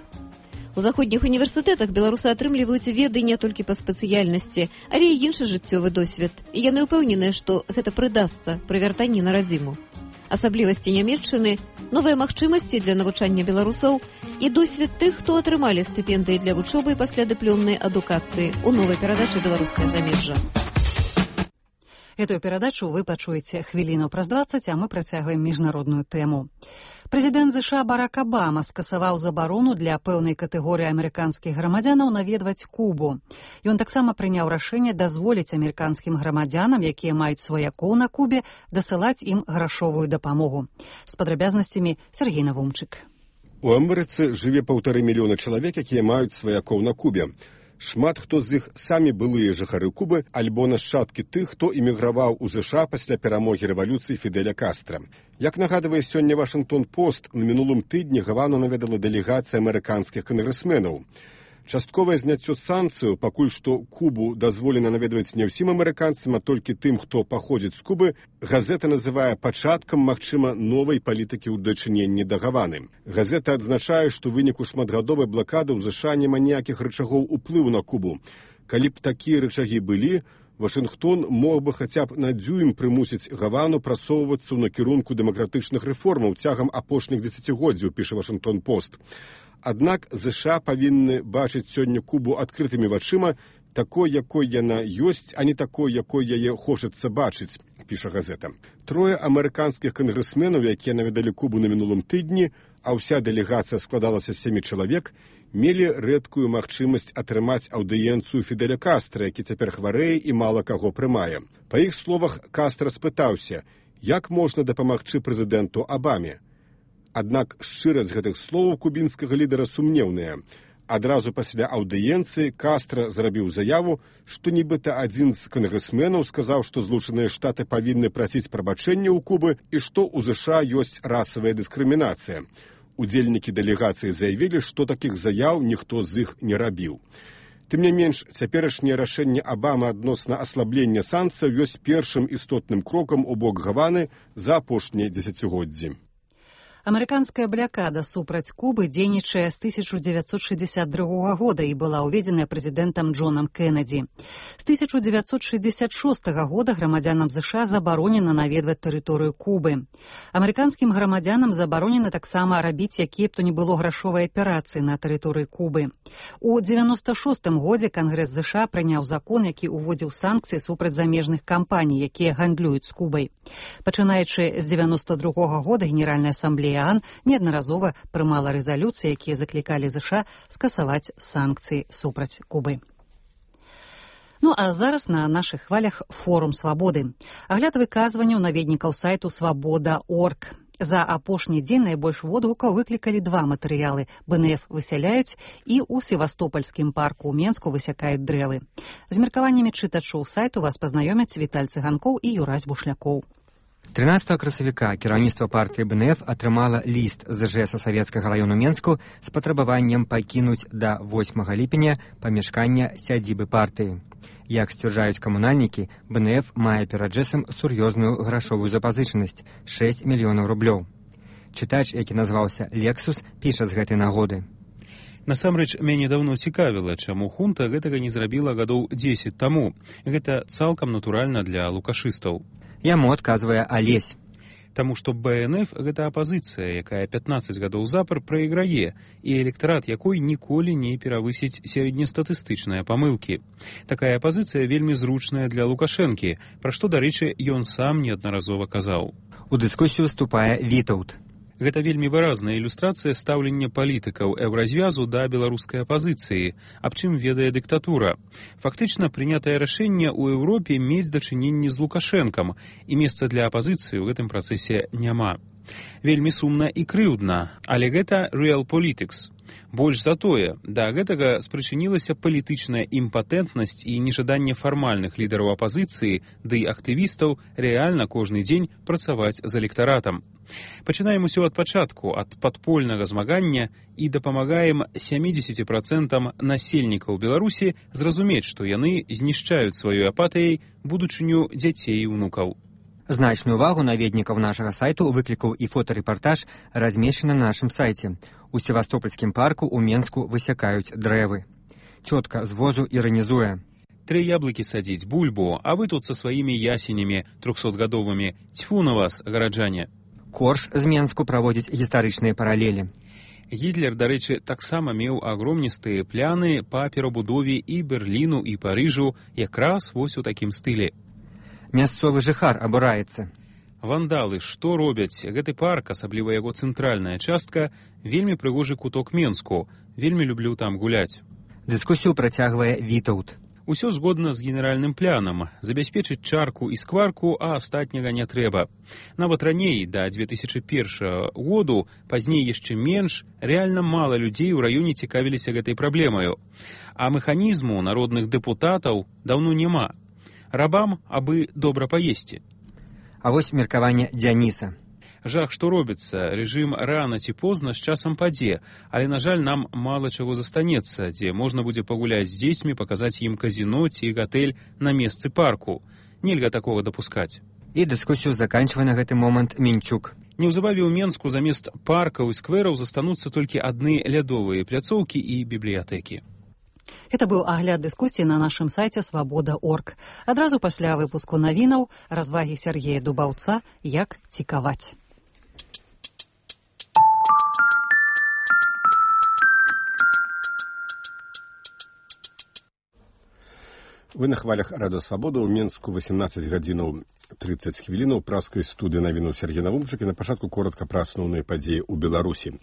[SPEAKER 21] У заходніх універсітэтах беларусы атрымліваюць веды не толькі па спецыяльнасці, але і іншы жыццёвы досвед. І яны ўпэўненыя, што гэта прыдасца пры вяртанні на радзіму. Асаблівасці Нямецчыны, новыя магчымасці для навучання беларусаў і досвед тых, хто атрымалі стыпендыі для вучобы і паслядыплёмнай адукацыі у новай перадачы «Беларускае замежжа».
[SPEAKER 1] Эту перадачу вы пачуеце хвіліну праз 20, а мы працягваем міжнародную тэму. Прэзідэнт США Барак Абама скасаваў забарону для пэўнай катэгорыі амерыканскіх грамадзянаў наведваць Кубу. Ён таксама прыняў рашэнне дазволіць амерыканскім грамадзянам, якія маюць сваякоў на Кубе, дасылаць ім грашовую дапамогу. З падрабязнасцямі Сергей Навумчык.
[SPEAKER 2] У Амерыцы жыве 1,5 мільёна чалавек, якія маюць сваякоў на Кубе. Шмат хто з іх самі былыя жыхары Кубы альбо нашчадкі тых, хто эміграваў у ЗША пасля перамогі рэвалюцыі Фідэля Кастра. Як нагадвае сёння Вашынгтон-Пост, на мінулым тыдні Гавану наведала дэлегацыя амерыканскіх кангрэсменаў. Частковае зняццё санкцыяў, пакуль што Кубу дазволена наведваць не ўсім амерыканцам, а толькі тым, хто паходзіць з Кубы, газета называе пачаткам, магчыма, новай палітыкі ў дачыненні да Гаваны. Газета адзначае, што ў выніку шматгадовай блакады ў ЗША няма ніякіх рычагоў уплыву на Кубу. Калі б такія рычагі былі, Вашынгтон мог бы хаця б на дзюйм прымусіць Гавану прасоўвацца ў накірунку дэмакратычных рэформаў цягам апошніх дзесяцігоддзяў, піша Вашынгтон-Пост. Аднак ЗША павінны бачыць сёння Кубу адкрытымі вачыма, такой, якой яна ёсць, а не такой, якой яе хочацца бачыць, піша газета. 3 амерыканскіх кангрэсменаў, якія наведалі Кубу на мінулым тыдні, а ўся дэлегацыя складалася з 7 чалавек, мелі рэдкую магчымасць атрымаць аўдыенцыю Фідэля Кастра, які цяпер хварэе і мала каго прымае. Па іх словах, Кастра спытаўся, як можна дапамагчы прэзідэнту Абаме. Аднак шчырасць гэтых словаў кубінскага лідара сумнеўная. Адразу пасля аўдыенцыі Кастра зрабіў заяву, што нібыта адзін з кангрэсменаў сказаў, што Злучаныя Штаты павінны прасіць прабачэння ў Кубы і што ў ЗША ёсць расавая дыскрымінацыя. Удзельнікі дэлегацыі заявілі, што такіх заяў ніхто з іх не рабіў. Тым не менш, цяперашняе рашэнне Абамы адносна аслаблення санкцыяў ёсць першым істотным крокам у бок Гаваны за апошнія дзесяцігоддзі.
[SPEAKER 1] Амерыканская блякада супраць Кубы дзейнічае з 1962 года і была ўведзеная прэзідэнтам Джонам Кеннеді. З 1966 года грамадзянам ЗША забаронена наведваць тэрыторыю Кубы. Амерыканскім грамадзянам забаронена таксама рабіць якія б то не было грашовыя аперацыі на тэрыторыі Кубы. У 1996 годзе Кангрэс ЗША прыняў закон, які ўводзіў санкцыі супраць замежных кампаній, якія гандлююць з Кубай. Пачынаючы з 1992 года Генеральная асамблея неаднаразова прымала рэзалюцыі, якія заклікалі ЗША скасаваць санкцыі супраць Кубы. Ну а зараз на нашых хвалях форум свабоды. Агляд выказванняў наведнікаў сайту свабода.орг. За апошні дзень найбольш водгукаў выклікалі 2 матэрыялы. БНФ высяляюць і ў Севастопольскім парку ў Менску высякаюць дрэвы. З меркаваннямі чытачоў сайту вас пазнаёмяць Віталь Цыганкоў і Юрась Бушлякоў.
[SPEAKER 4] 13 красавіка кіраўніцтва партыі БНФ атрымала ліст з ЖЭСа Савецкага раёну Менску з патрабаваннем пакінуць да 8 ліпеня памяшкання сядзібы партыі. Як сцвярджаюць камунальнікі, БНФ мае перад ЖЭСам сур'ёзную грашовую запазычанасць – 6 мільёнаў рублёў. Чытач, які назваўся Лексус, піша з гэтай нагоды.
[SPEAKER 22] Насамрэч, мяне даўно цікавіла, чаму хунта гэтага не зрабіла гадоў 10 таму. Гэта цалкам натуральна для лукашыстаў.
[SPEAKER 4] Яму адказвае Алесь.
[SPEAKER 22] Таму што БНФ – гэта апазіцыя, якая 15 гадоў запар прайграе, і электарат якой ніколі не перавысіць сярэднестатыстычныя памылкі. Такая апазіцыя вельмі зручная для Лукашэнкі, пра што, дарэчы, ён сам неаднаразова казаў.
[SPEAKER 4] У дыскусію вступае Вітаўт.
[SPEAKER 22] Гэта вельмі выразная ілюстрацыя стаўлення палітыкаў еўразвязу да беларускай апазіцыі, аб чым ведае дыктатура. Фактычна, прынятае рашэнне ў Еўропе мець дачыненні з Лукашэнкам, і месца для апазіцыі ў гэтым працэсе няма. Вельмі сумна і крыўдна, але гэта real politics. Больш за тое, да гэтага спрычынілася палітычная імпатэнтнасць і нежаданне фармальных лідараў апазіцыі ды актывістаў рэальна кожны дзень працаваць з электаратам. Пачынаем усё ад пачатку, ад падпольнага змагання і дапамагаем 70% насельнікаў Беларусі зразумець, што яны знішчаюць сваёй апатыяй будучыню дзяцей і ўнукаў.
[SPEAKER 4] Значную увагу наведнікаў нашага сайту выклікаў і фотарэпартаж, размешчаны на нашым сайце. У Севастопольскім парку ў Менску высякаюць дрэвы. Цётка з возу іранізуе.
[SPEAKER 22] 3 яблыкі садзіць, бульбу, а вы тут са сваімі ясенямі 300-гадовымі. Цьфу на вас, гараджане.
[SPEAKER 4] Корж з Менску праводзіць гістарычныя паралелі.
[SPEAKER 22] Гітлер, дарэчы, таксама меў агромністыя пляны па перабудове і Берліну, і Парыжу, якраз вось у такім стылі.
[SPEAKER 4] Мясцовы жыхар абураецца.
[SPEAKER 22] Вандалы, што робяць? Гэты парк, асабліва яго цэнтральная частка, вельмі прыгожы куток Менску. Вельмі люблю там гуляць.
[SPEAKER 4] Дыскусію працягвае Вітаўт.
[SPEAKER 22] Усё згодна з генеральным планам. Забяспечыць чарку і скварку, а астатняга не трэба. Нават раней, да 2001 году, пазней яшчэ менш, рэальна мала людзей у раёне цікавіліся гэтай праблемаю. А механізму народных дэпутатаў даўно няма. Рабам, абы добра паесці.
[SPEAKER 4] А вось меркаванне Дзяніса.
[SPEAKER 22] Жах, што робіцца, рэжым рана ці позна з часам падзе, але, на жаль, нам мала чаго застанецца, дзе можна будзе пагуляць з дзецьмі, паказаць ім казіно ці гатэль на месцы парку. Нельга такога дапускаць.
[SPEAKER 4] І дыскусію заканчвае на гэты момант Мінчук.
[SPEAKER 22] Неўзабаве ў Менску замест паркаў і сквераў застануцца толькі адны лядовыя пляцоўкі і бібліятэкі.
[SPEAKER 1] Гэта быў агляд дыскусіі на нашым сайце свабода.орг. Адразу пасля выпуску навінаў развагі Сергея Дубаўца «Як цікаваць».
[SPEAKER 2] Вы на хвалях Радыё Свабода. У Менску 18 гадзінаў 30 хвілінаў праскай студыі навінуў Сергей Навумчык і на пачатку коротка пра асноўныя падзеі ў Беларусі.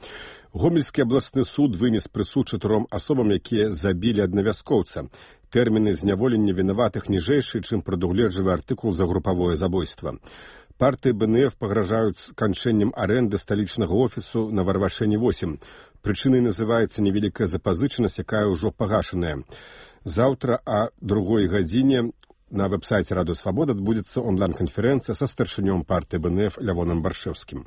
[SPEAKER 2] Гомельскі абласны суд вынес прысуд 4 асобам, якія забілі аднавяскоўца. Тэрміны зняволення вінаватых ніжэйшы, чым прадугледжвае артыкул за групавое забойства. Партыі БНФ пагражаюць сканчэннем арэнды сталічнага офісу на Варвашэні 8. Прычынай называецца невялікая запазычанасць, якая ўжо пагашаная. Заўтра о 2 гадзіне на веб-сайце Радыё Свабода адбудзецца онлайн-канферэнцыя са старшынём партыі БНФ Лявонам Баршэўскім.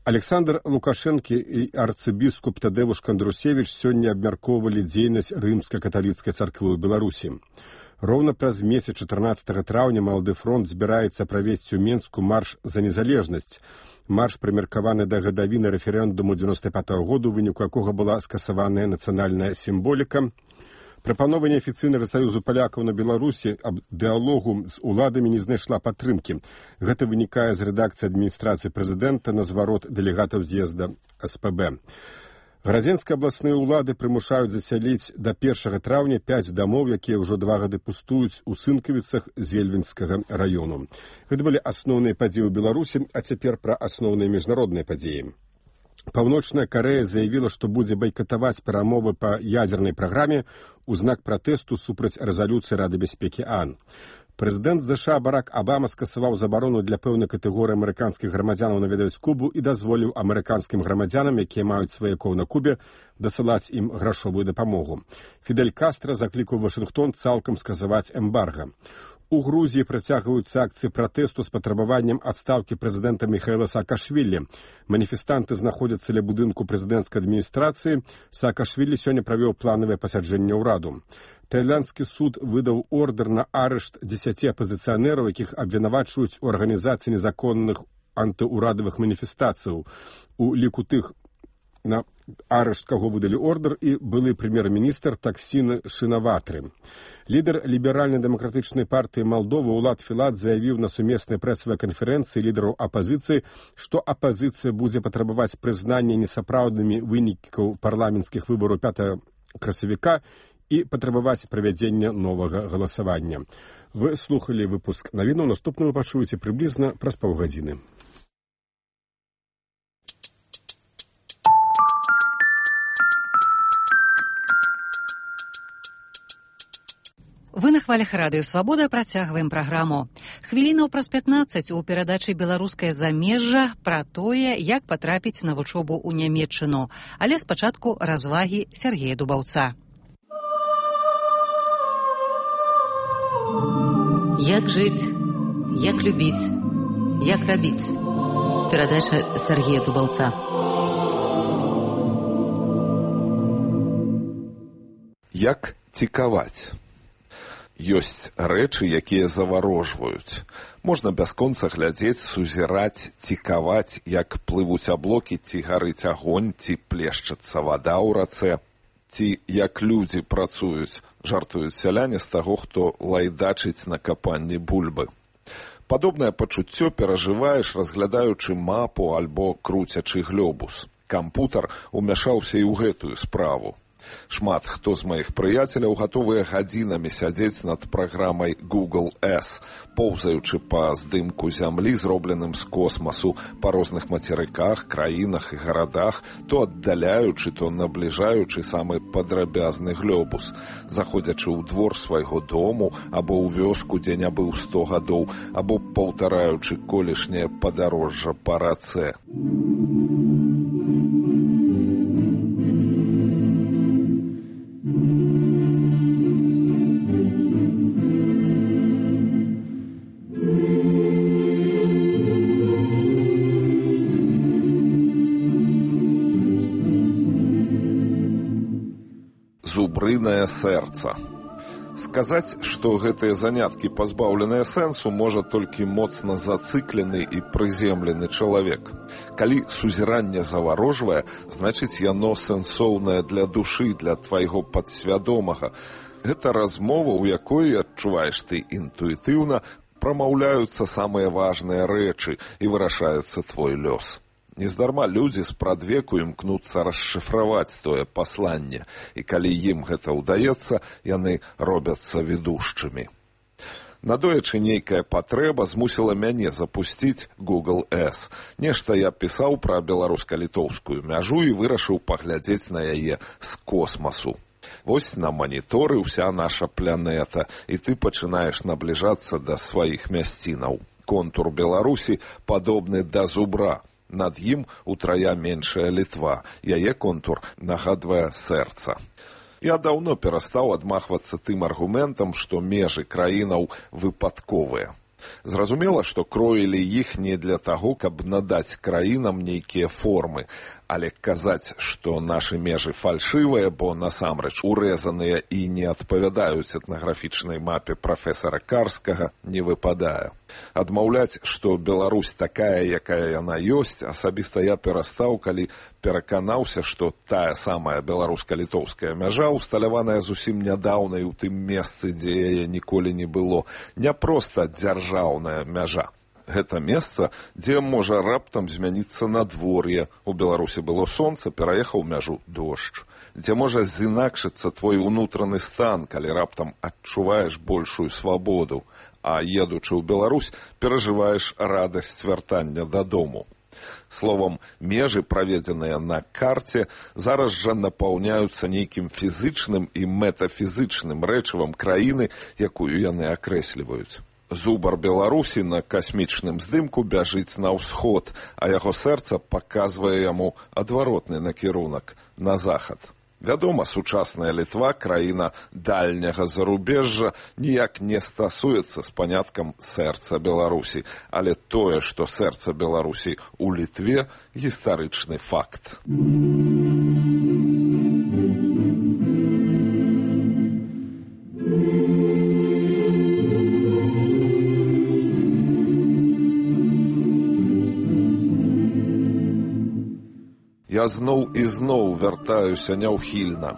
[SPEAKER 2] Александр Лукашэнкі і арцыбіскуп Тадзеуш Кандрусевіч сёння абмяркоўвалі дзейнасць рымска-каталіцкай царквы ў Беларусі. Роўна праз месяц 14 траўня Малады фронт збіраецца правесці ў Менску марш за незалежнасць. Марш прымеркаваны да гадавіны рэферэндуму 95-го году, у выніку якога была скасаваная нацыянальная сімволіка. Прапанова неафіцыйнага саюзу палякаў на Беларусі аб дыалогу з уладамі не знайшла падтрымкі. Гэта вынікае з рэдакцыі адміністрацыі прэзідэнта на зварот дэлегатаў з'езда СПБ. Гарадзенскія абласныя ўлады прымушаюць засяліць да 1 траўня 5 дамоў, якія ўжо 2 гады пустуюць у Сынкавіцах з Ельвінскага раёну. Гэта былі асноўныя падзеі ў Беларусі, а цяпер пра асноўныя міжнародныя падзеі. Паўночная Карэя заявіла, што будзе байкатаваць перамовы па ядзернай праграме у знак пратэсту супраць рэзалюцыі Рады бяспекі ААН. Прэзідэнт ЗША Барак Абама скасаваў забарону для пэўнай катэгорыі амерыканскіх грамадзянаў наведаць Кубу і дазволіў амерыканскім грамадзянам, якія маюць сваякоў на Кубе, дасылаць ім грашовую дапамогу. Фідель Кастра заклікаў Вашынгтон цалкам скасаваць эмбарга. У Грузіі працягваюцца акцыі пратэсту з патрабаваннем адстаўкі прэзідэнта Міхаіла Саакашвілі. Маніфестанты знаходзяцца ля будынку прэзідэнцкай адміністрацыі. Саакашвілі сёння правёў планавае пасяджэнне ўраду. Таіландскі суд выдаў ордэр на арышт 10 апазіцыянераў, якіх абвінавачваюць у арганізацыі незаконных антыурадавых маніфестацыяў. У ліку тых, на арышт каго выдалі ордэр, і былы прэм'ер-міністр Таксін Шынаватры. Лідар ліберальна-дэмакратычнай партыі Малдовы Улад Філат заявіў на сумеснай прэсавай канферэнцыі лідараў апазіцыі, што апазіцыя будзе патрабаваць прызнання несапраўднымі вынікаў парламенцкіх выбараў 5 красавіка і патрабаваць правядзення новага галасавання. Вы слухалі выпуск навінаў, наступны вы пачуеце прыблізна праз паўгадзіны.
[SPEAKER 1] Вы на хвалях Радыё Свабода працягваем праграму. Хвілінаў праз 15 у перадачы «Беларускае замежжа» пра тое, як патрапіць на вучобу ў Нямецчыну. Але спачатку развагі Сергея Дубаўца.
[SPEAKER 5] Як жыць, як любіць, як рабіць. Перадача Сергея Дубаўца.
[SPEAKER 13] Як цікаваць. Ёсць рэчы, якія заварожваюць. Можна бясконца глядзець, сузіраць, цікаваць, як плывуць аблокі, ці гарыць агонь, ці плешчацца вада ў рацэ, ці як людзі працуюць, жартуюць сяляне з таго, хто лайдачыць на капанні бульбы. Падобнае пачуццё перажываеш, разглядаючы мапу альбо круцячы глёбус. Кампутар умяшаўся і ў гэтую справу. Шмат хто з маіх прыяцеляў гатовыя гадзінамі сядзець над праграмай Google S, поўзаючы па здымку зямлі, зробленым з космасу, па розных мацерыках, краінах і гарадах, то аддаляючы, то набліжаючы самы падрабязны глобус, заходзячы ў двор свайго дому або ў вёску, дзе не быў 100 гадоў, або паўтараючы колішняе падарожжа па рацэ. Зубрынае сэрца. Сказаць, што гэтыя заняткі пазбаўленыя сэнсу, можа толькі моцна зацыклены і прыземлены чалавек. Калі сузіранне заварожвае, значыць яно сэнсоўнае для душы, для твайго падсвядомага. Гэта размова, у якой, адчуваеш ты інтуітыўна, прамаўляюцца самыя важныя рэчы і вырашаецца твой лёс. Нездарма людзі спрадвеку імкнуцца расшыфраваць тое пасланне, і калі ім гэта ўдаецца, яны робяцца ведушчымі. Надоечы нейкая патрэба змусіла мяне запусціць Google S. Нешта я пісаў пра беларуска-літоўскую мяжу і вырашыў паглядзець на яе з космасу. Вось на маніторы ўся наша планета, і ты пачынаеш набліжацца да сваіх мясцінаў. Контур Беларусі падобны да зубра. Над ім утрая меншая Літва. Яе контур нагадвае сэрца. Я даўно перастаў адмахвацца тым аргументам, што межы краінаў выпадковыя. Зразумела, што кроілі іх не для таго, каб надаць краінам нейкія формы, але казаць, што нашы межы фальшывыя, бо насамрэч урэзаныя і не адпавядаюць этнаграфічнай мапе прафесара Карскага, не выпадае. Адмаўляць, што Беларусь такая, якая яна ёсць, асабіста я перастаў, калі пераканаўся, што тая самая беларуска-літоўская мяжа, усталяваная зусім нядаўна і ў тым месцы, дзе яе ніколі не было, не проста дзяржаўная мяжа. Гэта месца, дзе можа раптам змяніцца надвор'е. У Беларусі было сонца, пераехаў мяжу дождж. Дзе можа зінакшыцца твой унутраны стан, калі раптам адчуваеш большую свабоду, а едучы ў Беларусь, перажываеш радасць вяртання дадому. Словам, межы, праведзеныя на карце, зараз жа напаўняюцца нейкім фізычным і метафізычным рэчывам краіны, якую яны акрэсліваюць. Зубар Беларусі на касмічным здымку бяжыць на ўсход, а яго сэрца паказвае яму адваротны накірунак на захад. Вядома, сучасная Літва, краіна дальняга зарубежжа, ніяк не стасуецца з паняткам сэрца Беларусі, але тое, што сэрца Беларусі ў Літве, гістарычны факт. Я зноў і зноў вяртаюся няўхільна.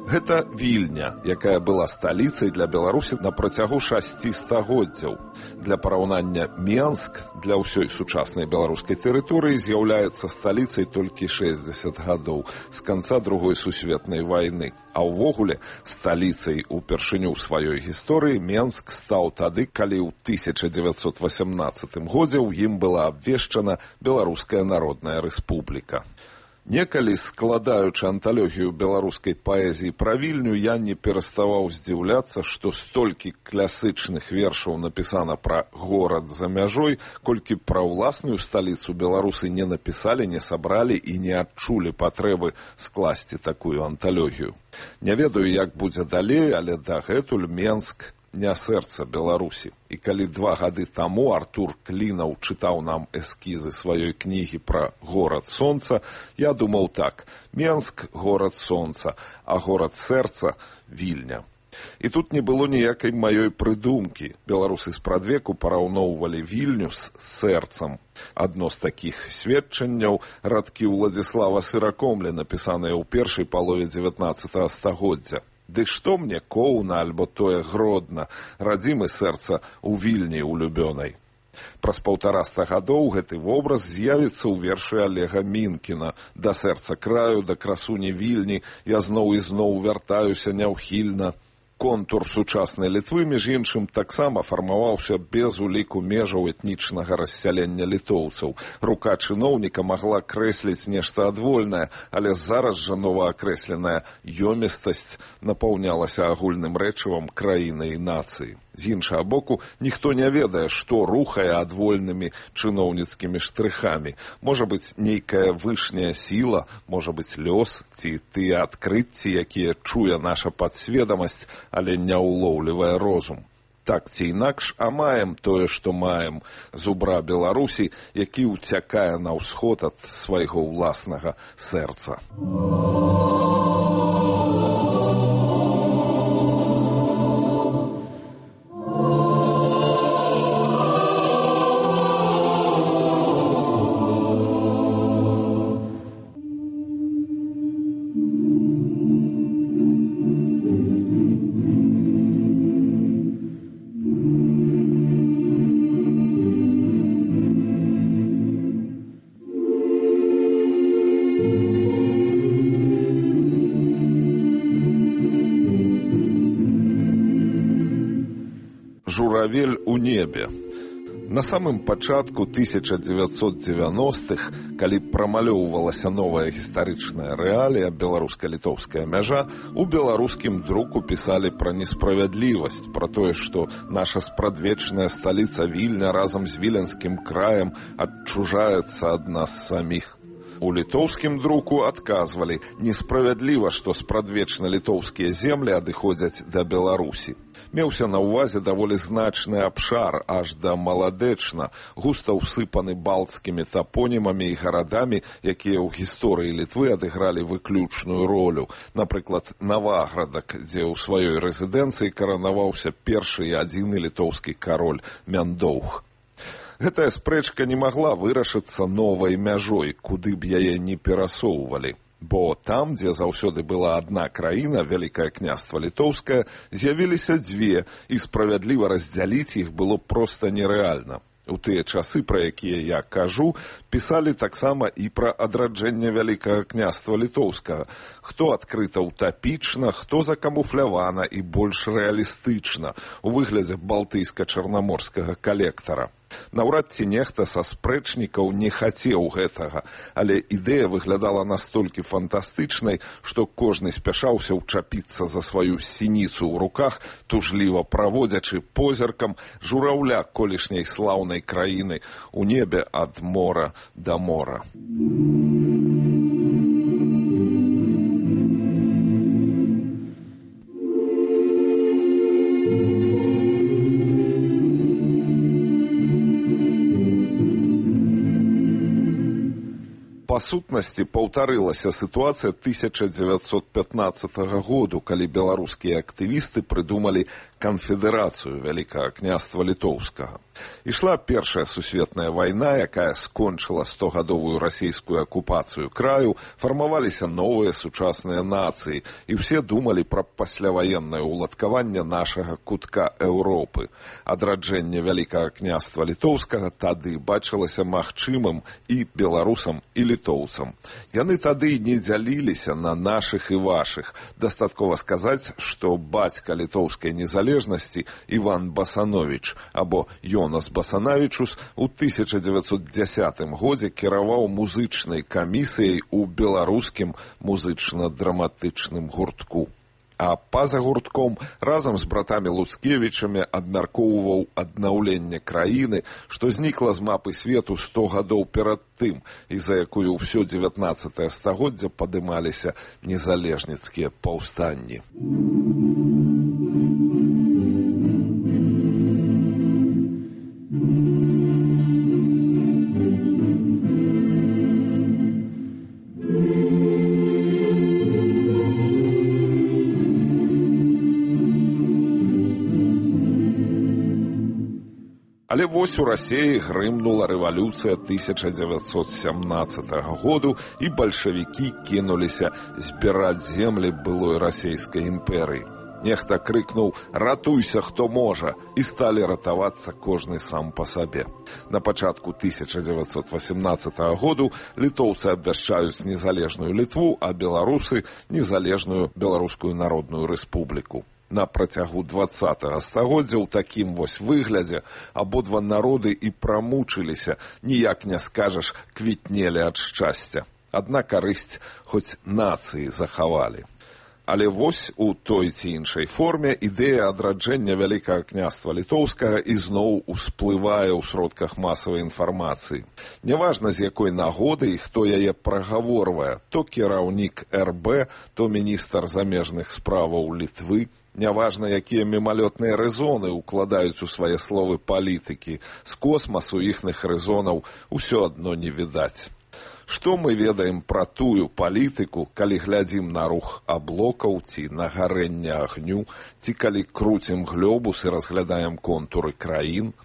[SPEAKER 13] Гэта Вільня, якая была сталіцай для Беларусі на працягу 6 стагоддзяў. Для параўнання, Менск для ўсёй сучаснай беларускай тэрыторыі з'яўляецца сталіцай толькі 60 гадоў, з канца Другой сусветнай вайны. А ўвогуле, сталіцай упершыню ў сваёй гісторыі Менск стаў тады, калі ў 1918 годзе ў ім была абвешчана Беларуская Народная Рэспубліка. Некалі, складаючы анталогію беларускай паэзіі пра Вільню, я не пераставаў здзіўляцца, што столькі класычных вершаў напісана пра горад за мяжой, колькі пра ўласную сталіцу беларусы не напісалі, не сабралі і не адчулі патрэбы скласці такую анталогію. Не ведаю, як будзе далей, але дагэтуль Менск не сэрца Беларусі. І калі 2 гады таму Артур Клінаў чытаў нам эскізы сваёй кнігі пра горад сонца, я думаў так: Менск – горад сонца, а горад сэрца – Вільня. І тут не было ніякай маёй прыдумкі. Беларусы спрадвеку параўноўвалі Вільню з сэрцам. Адно з такіх сведчанняў – радкі Уладзіслава Сыракомля, напісаныя ў першай палове 19 стагоддзя. Ды што мне Коўна альбо тое Гродна, радзімы сэрца ў Вільні улюбёнай. Праз 150 гадоў гэты вобраз з'явіцца ў вершы Олега Мінкіна «Да сэрца краю, да красуні Вільні, я зноў і зноў вяртаюся няўхільна». Контур сучаснай Літвы, між іншым, таксама фармаваўся без уліку межаў этнічнага рассялення літоўцаў. Рука чыноўніка магла крэсліць нешта адвольнае, але зараз жа новаакрэсленая ёмістасць напаўнялася агульным рэчывам краіны і нацыі. З іншага боку, ніхто не ведае, што рухае адвольнымі чыноўніцкімі штрыхамі. Можа быць, нейкая вышняя сіла, можа быць, лёс ці тыя адкрыцці, якія чуе наша падсведамасць, але не ўлоўлівае розум. Так ці інакш, а маем тое, што маем. Зубра Беларусі, які ўцякае на ўсход ад свайго ўласнага сэрца. Журавель у небе. На самым пачатку 1990-х, калі прамалёўвалася новая гістарычная рэалія, беларуска-літоўская мяжа, у беларускім друку пісалі пра несправядлівасць, пра тое, што наша спрадвечная сталіца Вільня разам з віленскім краем адчужаецца ад нас саміх. У літоўскім друку адказвалі: несправядліва, што спрадвечна-літоўскія землі адыходзяць да Беларусі. Меўся на ўвазе даволі значны абшар, аж да Маладэчна, густа ўсыпаны балцкімі тапонімамі і гарадамі, якія ў гісторыі Літвы адыгралі выключную ролю. Напрыклад, Наваградак, дзе ў сваёй рэзідэнцыі каранаваўся першы і адзіны літоўскі кароль Мяндоўх. Гэтая спрэчка не магла вырашыцца новай мяжой, куды б яе не перасоўвалі. Бо там, дзе заўсёды была адна краіна, Вялікае княства Літоўскае, з'явіліся дзве, і справядліва раздзяліць іх было проста нерэальна. У тыя часы, пра якія я кажу, пісалі таксама і пра адраджэнне Вялікага княства Літоўскага. Хто адкрыта утапічна, хто закамуфлявана і больш рэалістычна, у выглядзе балтыйска-чарнаморскага калектара. Наўрад ці нехта са спрэчнікаў не хацеў гэтага, але ідэя выглядала настолькі фантастычнай, што кожны спяшаўся ўчапіцца за сваю сініцу ў руках, тужліва праводзячы позіркам жураўля колішняй слаўнай краіны у небе ад мора да мора. Па сутнасці паўтарылася сітуацыя 1915 году, калі беларускія актывісты прыдумалі канфедэрацыю Вялікага княства Літоўскага. Ішла Першая сусветная вайна, якая скончыла 100-гадовую расійскую акупацыю краю, фармаваліся новыя сучасныя нацыі, і ўсе думалі пра пасляваеннае ўладкаванне нашага кутка Еўропы. Адраджэнне Вялікага княства Літоўскага тады бачылася магчымым і беларусам, і літоўцам. Яны тады не дзяліліся на нашых і вашых. Дастаткова сказаць, што бацька літоўскай незалежнасці Іван Басановіч або Йонас Басанавічус у 1910 годзе кіраваў музычнай камісіяй у беларускім музычна-драматычным гуртку. А па-за гуртком разам з братамі Луцкевічамі абмяркоўваў аднаўленне краіны, што знікла з мапы свету 100 гадоў перад тым, і за якую ўсё 19 стагоддзя падымаліся незалежніцкія паўстанні. Але вось у Расіі грымнула рэвалюцыя 1917 году, і бальшавікі кінуліся збіраць землі былой расійскай імперыі. Нехта крыкнуў «Ратуйся, хто можа!» і сталі ратавацца кожны сам па сабе. На пачатку 1918 году літоўцы абвяшчаюць незалежную Літву, а беларусы – незалежную Беларускую Народную Рэспубліку. На працягу 20-го стагоддзя ў такім вось выглядзе абодва народы і прамучыліся, ніяк не скажаш, квітнелі ад шчасця. Адна карысць хоць нацыі захавалі. Але вось у той ці іншай форме ідэя адраджэння Вялікага княства Літоўскага ізноў усплывае ў сродках масавай інфармацыі. Няважна, з якой нагоды і хто яе прагаворвае, то кіраўнік РБ, то міністр замежных справаў Літвы, няважна, якія мімалётныя рэзоны ўкладаюць у свае словы палітыкі, з космасу іхных рэзонаў усё адно не відаць. Што мы ведаем пра тую палітыку, калі глядзім на рух аблокаў ці на гарэнне агню, ці калі круцім глёбус і разглядаем контуры краін?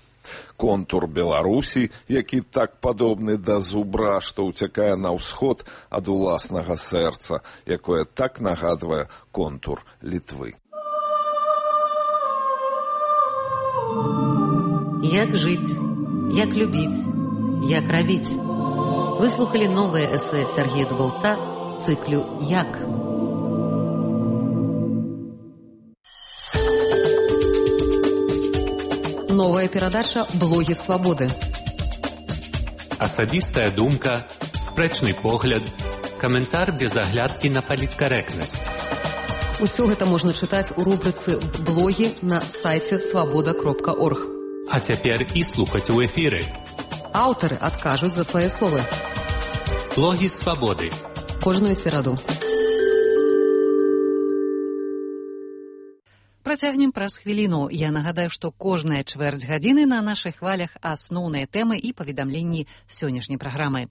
[SPEAKER 13] Контур Беларусі, які так падобны да зубра, што ўцякае на ўсход ад уласнага сэрца, якое так нагадвае контур Літвы.
[SPEAKER 5] Як жыць, як любіць, як рабіць. Выслухали новое эссе Сергея Дубаўца циклю «Як?». Новая перадача «Блогі свабоды».
[SPEAKER 12] Асабістая думка, спрэчны погляд, каментар без аглядкі на паліткарэктнасць.
[SPEAKER 5] Усё гэта можна чытаць у рубрыцы «Блогі» на сайце свабода.орг.
[SPEAKER 12] А цяпер і слухаць у эфіры.
[SPEAKER 5] Аўтары адкажуць за свае словы.
[SPEAKER 12] Блогі свабоды.
[SPEAKER 5] Кожную сераду.
[SPEAKER 1] Працягнем праз хвіліну. Я нагадаю, што кожная чвэрць гадзіны на нашых хвалях асноўныя тэмы і паведамленні сённяшняй праграмы.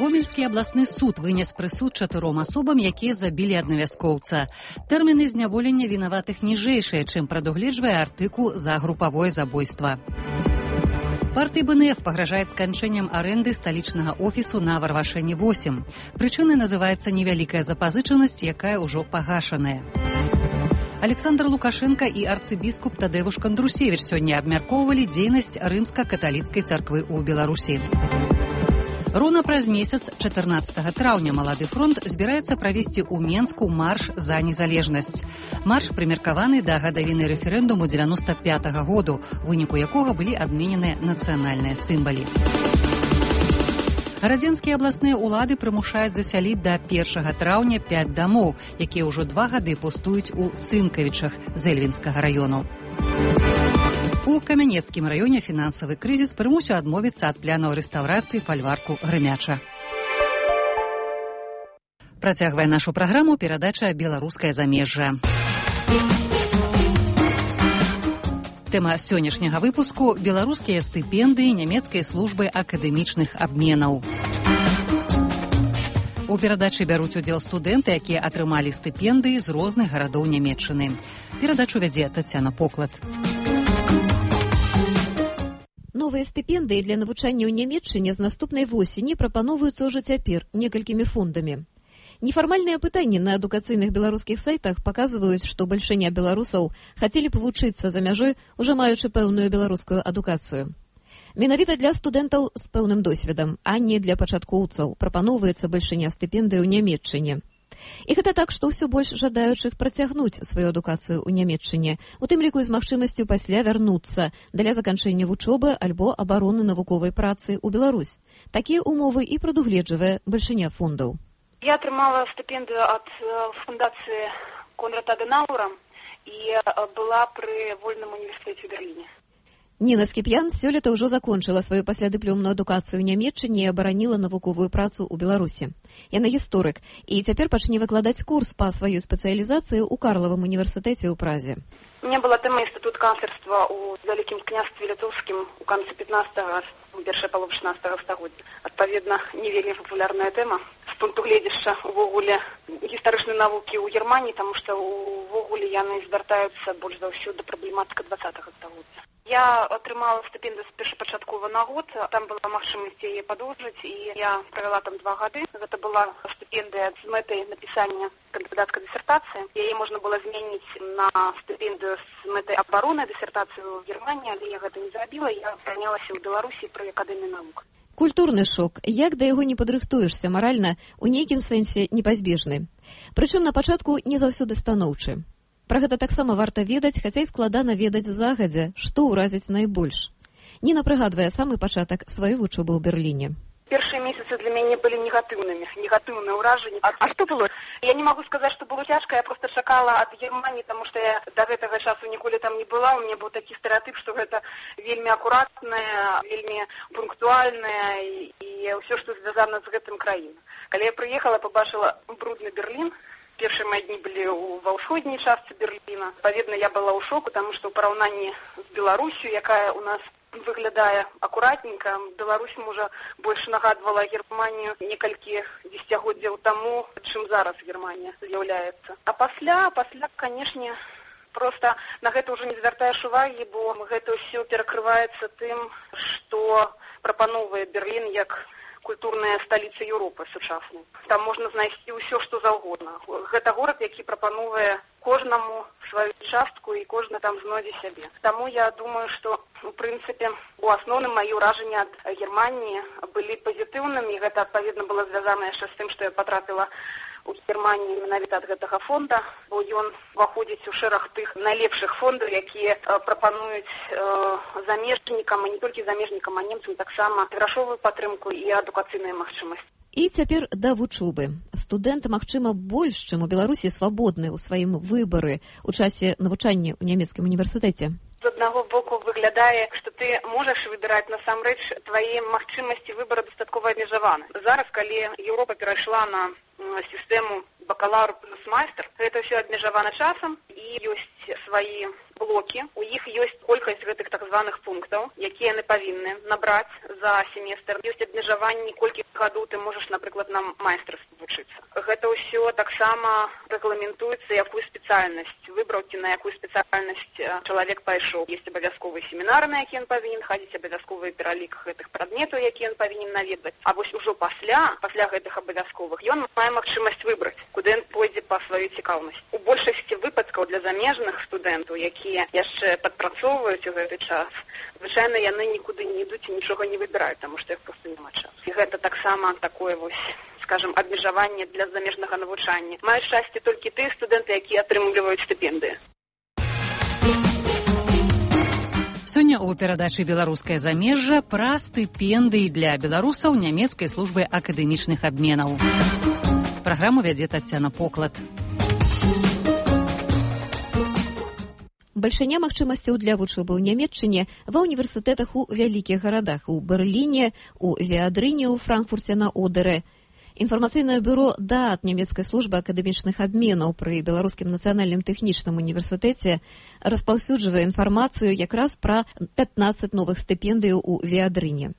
[SPEAKER 1] Гомельскі абласны суд вынес прысуд 4 асобам, якія забілі аднавяскоўца. Тэрміны зняволення вінаватых ніжэйшыя, чым прадугледжвае артыкул за групавое забойства. Партыі БНФ пагражае сканчэннем арэнды сталічнага офісу на Варвашэні 8. Прычынай называецца невялікая запазычанасць, якая ўжо пагашаная. Александр Лукашенко і арцыбіскуп Тадэвуш Кандрусевіч сёння абмяркоўвалі дзейнасць рымска-каталіцкай царквы ў Беларусі. Роўна праз месяц, 14 траўня, Малады фронт збіраецца правесці ў Менску марш за незалежнасць. Марш прымеркаваны да гадавіны рэферэндуму 95-го году, у выніку якога былі адмененыя нацыянальныя сімвалы. Гарадзенскія абласныя ўлады прымушаюць засяліць да 1 траўня 5 дамоў, якія ўжо 2 гады пустуюць у Сынкавічах з Эльвінскага раёну. У Камянецкім раёне фінансавы крызіс прымусіў адмовіцца ад планаў рэстаўрацыі фальварку Грымяча. Працягвае нашу праграму перадача «Беларускае замежжа». Тэма сённяшняга выпуску – беларускія стыпендыі нямецкай службы акадэмічных абменаў. У перадачы бяруць удзел студэнты, якія атрымалі стыпендыі з розных гарадоў Нямецчыны. Перадачу вядзе Тацяна Поклад.
[SPEAKER 21] Новыя стыпендыі для навучання ў Нямецчыне з наступнай восені прапаноўваюцца ўжо цяпер некалькімі фондамі. Нефармальныя пытанні на адукацыйных беларускіх сайтах паказваюць, што бальшыня беларусаў хацелі б вучыцца за мяжой, ужо маючы пэўную беларускую адукацыю. Менавіта для студэнтаў з пэўным досведам, а не для пачаткоўцаў, прапаноўваецца бальшыня стыпендый у Нямецчыне. І гэта так, што ўсё больш жадаючых працягнуць сваю адукацыю ў Нямецчыне, у тым ліку з магчымасцю пасля вярнуцца для заканчэння вучобы альбо абароны навуковай працы ў Беларусь. Такія умовы і прадугледжвае бальшыня фондаў.
[SPEAKER 3] Я атрымала стыпендыю ад фундацыі Конрада Адэнауэра і была пры вольным універсітэце ў Берліне.
[SPEAKER 21] Ніна Скіп'ян сёлета ўжо закончыла сваю паслядыплёмную адукацыю ў Нямецчыне і абараніла навуковую працу ў Беларусі. Яна гісторык і цяпер пачне выкладаць курс па сваёй спецыялізацыі ў Карлавым універсітэце ў Празе.
[SPEAKER 3] У меня была тема інстытут канцлерства ў Вялікім княстве літоўскім у канцы 15-го, першай паловы 16-го стагоддзя. Адпаведна, не вельмі папулярная тэма. з пункту гледзяшча увогуле гістарычнай навукі ў Германіі, таму што увогуле яны звяртаюцца больш за ўсё да праблематыка 20-га стагоддзя. Я атрымала стыпендыю першапачаткова на год, там была магчымасць яе падоўжыць, і я правяла там 2 гады. Гэта была стыпендыя з мэтай напісання кандыдацкай дысертацыі. Яе можна было змяніць на стыпендыю з мэтай абароны дысертацыі ў Германіі, але я гэта не зрабіла, я прынялася ў Беларусі пры акадэміі навук.
[SPEAKER 21] Культурны шок, як да яго не падрыхтуешся маральна, у нейкім сэнсе непазбежны. Прычым на пачатку не заўсёды станоўчы. Пра гэта таксама варта ведаць, хаця і складана ведаць загадзя, што ўразіць найбольш. Ніна прыгадвае самы пачатак сваёй вучобы ў Берліне.
[SPEAKER 3] Першыя месяцы для мяне былі негатыўныя ўражанні. А што было? Я не магу сказаць, што было цяжка, я проста чакала ад Германіі, таму што я да гэтага часу ніколі там не была. У мяне быў такі стэрэатып, што гэта вельмі акуратная, вельмі пунктуальная і ўсё, што звязана з гэтым краіна. Калі я прыехала, пабачыла брудны Берлін. Першыя мае дні былі ва ўсходняй частцы Берліна. Адпаведна, я была ў шоку, таму што ў параўнанні з Беларусю, якая ў нас выглядае акуратненька, Беларусь, можа, больш нагадвала Германію некалькі дзесяцігоддзяў таму, чым зараз Германія з'яўляецца. А пасля, канешне, проста на гэта ўжо не звяртаеш увагі, бо гэта ўсё перакрываецца тым, што прапановвае Берлін як культурная сталіца Еўропы сучаснай. Там можна знайсці ўсё, што заўгодна. Гэта горад, які прапановвае кожнаму сваю частку і кожны там знойдзе сябе. Таму я думаю, што, у прынцыпе, у асноўным маё ўражанні ад Германіі былі пазітыўнымі, і гэта, адпаведна, было звязана яшчэ з тым, што я патрапіла у Германії менавіта ад гэтага фонда, бо ён уваходзіць у шэраг тых найлепшых фондаў, якія прапануюць замежнікам, і не толькі замежнікам, а немцам таксама грашовую падтрымку і адукацыйныя магчымасці.
[SPEAKER 21] І цяпер да вучобы. Студэнт, магчыма, больш, чым у Беларусі, свабодны ў сваім выбары ў часе навучання ў нямецкім універсітэце.
[SPEAKER 3] З аднаго боку выглядае, што ты можаш выбіраць, насамрэч, твае магчымасці выбара дастаткова абмежаваны. Зараз, калі Еўропа перайшла на сістэму бакалаўр плюс майстар, гэта ўсё абмежавана часам, і ёсць свае блокі, у іх ёсць колькасць гэтых так званых пунктаў, якія яны павінны набраць за семестр. Ёсць абмежаванні, колькі гадоў ты можаш, напрыклад, на майстарстве вучыцца. Гэта ўсё таксама рэгламентуецца, якую спецыяльнасць выбраў ці на якую спецыяльнасць чалавек пайшоў. Ёсць абавязковыя семінары, на якія ён павінен хадзіць, абавязковы пералік гэтых прадметаў, якія ён павінен наведваць. А вось ужо пасля гэтых абавязковых ён мае магчымасць выбраць, куды ён пойдзе па сваёй цікаўнасці. У большасці выпадкаў для замежных студэнтаў, якія яшчэ падпрацоўваюць у гэты час, звычайна яны нікуды не ідуць і нічога не выбіраюць, таму што іх проста няма часу. І гэта таксама такое вось, скажем, абмежаванне для замежнага навучання. Маюць шчасце толькі тыя студэнты, якія атрымліваюць стыпендыі.
[SPEAKER 1] Сёння ў перадачы «Беларускае замежжа» пра стыпендыі для беларусаў нямецкай службы акадэмічных абменаў. Праграму вядзе Таццяна Поклад.
[SPEAKER 21] Бальшыня магчымасцяў для вучобы ў Нямецчыне ва ўніверсітэтах у вялікіх гарадах, у Берліне, у Веадрыне, у Франкфурце на Одэрэ. Інфармацыйнае бюро ДААТ нямецкай службы акадэмічных абменаў пры Беларускім нацыянальным тэхнічным універсітэце распаўсюджвае інфармацыю якраз пра 15 новых стыпендыяў у Веадрыне.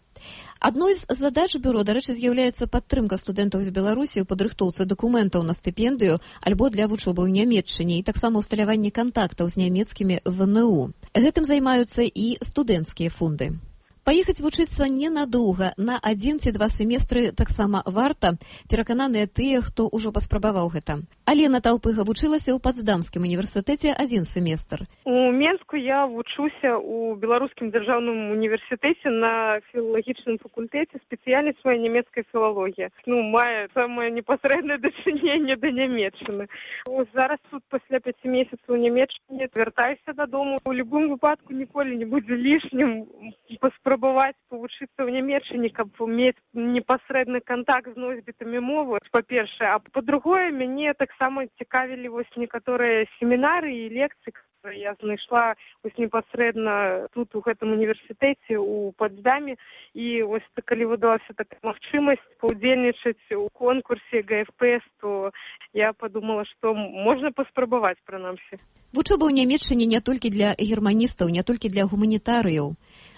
[SPEAKER 21] Адной з задач бюро, дарэчы, з'яўляецца падтрымка студэнтаў з Беларусі ў падрыхтоўцы дакументаў на стыпендыю альбо для вучобы ў Нямецчыне і таксама ўсталяванне кантактаў з нямецкімі ВНУ. Гэтым займаюцца і студэнцкія фонды. Паехаць вучыцца ненадоўга, на 1 ці 2 семестры таксама варта, перакананыя тыя, хто ўжо паспрабаваў гэта. Алена Талпыга вучылася ў Пацдамскім універсітэце 1 семестр.
[SPEAKER 6] У Менску я вучуся ў Беларускім дзяржаўным універсітэце на філалагічным факультэце, спецыяльнасць моя нямецкая філалогія. Мае самае непасрэднае дачыненне да Нямецчыны. Зараз тут пасля 5 месяцаў у Нямецчыне вяртаюся дадому. У любым выпадку ніколі не будзе лішнім паспрабаваць павучыцца ў Нямецчыне, каб мець непасрэдны кантакт з носьбітамі мовы, па-першае. А па-другое, мяне таксама цікавілі некаторыя семінары і лекцыі, которые я знайшла непасрэдна тут у гэтым універсітэце у Пацдаме. І калі выдалася такая магчымасць паўдзельнічаць у конкурсе ГФПС, то я подумала, што можна паспрабаваць прынамсі.
[SPEAKER 21] Вучоба ў Нямецчыне не толькі для германістаў, не толькі для гуманітарыяў.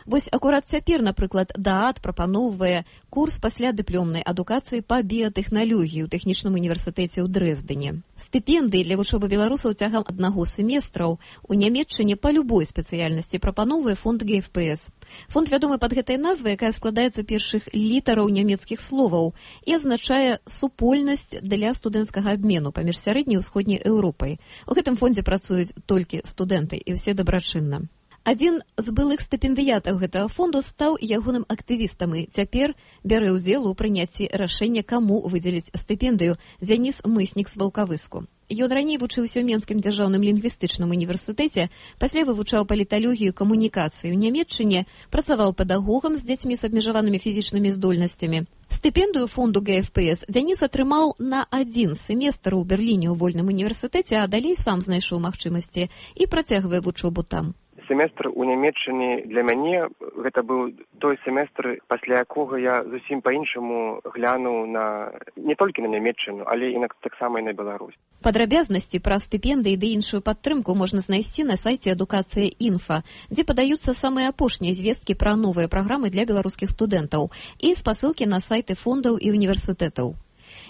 [SPEAKER 21] Вось акурат цяпер, напрыклад, ДААД прапаноўвае курс паслядыплёмнай адукацыі па біятэхналогіі ў тэхнічным універсітэце ў Дрэздене. Стыпендыі для вучобы беларусаў цягам аднаго семестраў у Нямецчыне па любой спецыяльнасці прапаноўвае фонд ГФПС. Фонд вядомы пад гэтай назвай, якая складаецца першых літараў нямецкіх словаў і азначае супольнасць для студэнцкага абмену паміж сярэдняй і ўсходняй Еўропай. У гэтым фондзе працуюць толькі студэнты і ўсе дабрачынна. Адзін з былых стыпендыятаў гэтага фонду стаў ягоным актывістам і цяпер бярэ ўдзел у прыняцці рашэння, каму выдзеліць стыпендыю, Дзяніс Мыснік з Ваўкавыску. Ён раней вучыўся ў Менскім дзяржаўным лінгвістычным універсітэце, пасля вывучаў паліталогію камунікацыі ў Нямецчыне, працаваў педагогам з дзецьмі з абмежаванымі фізічнымі здольнасцямі. Стыпендыю фонду ГФПС Дзяніс атрымаў на 1 семестр у Берліне ў вольным універсітэце, а далей сам знайшоў магчымасці і працягвае вучобу там.
[SPEAKER 7] Семестр у Нямецчыне для мяне гэта быў той семестр, пасля якога я зусім па-іншаму глянуў на не толькі на Нямецчыну, але і таксама і на Беларусь.
[SPEAKER 21] Падрабязнасці пра стыпендыі ды іншую падтрымку можна знайсці на сайце Адукацыя Інфа, дзе падаюцца самыя апошнія звесткі пра новыя праграмы для беларускіх студэнтаў і спасылкі на сайты фондаў і універсітэтаў.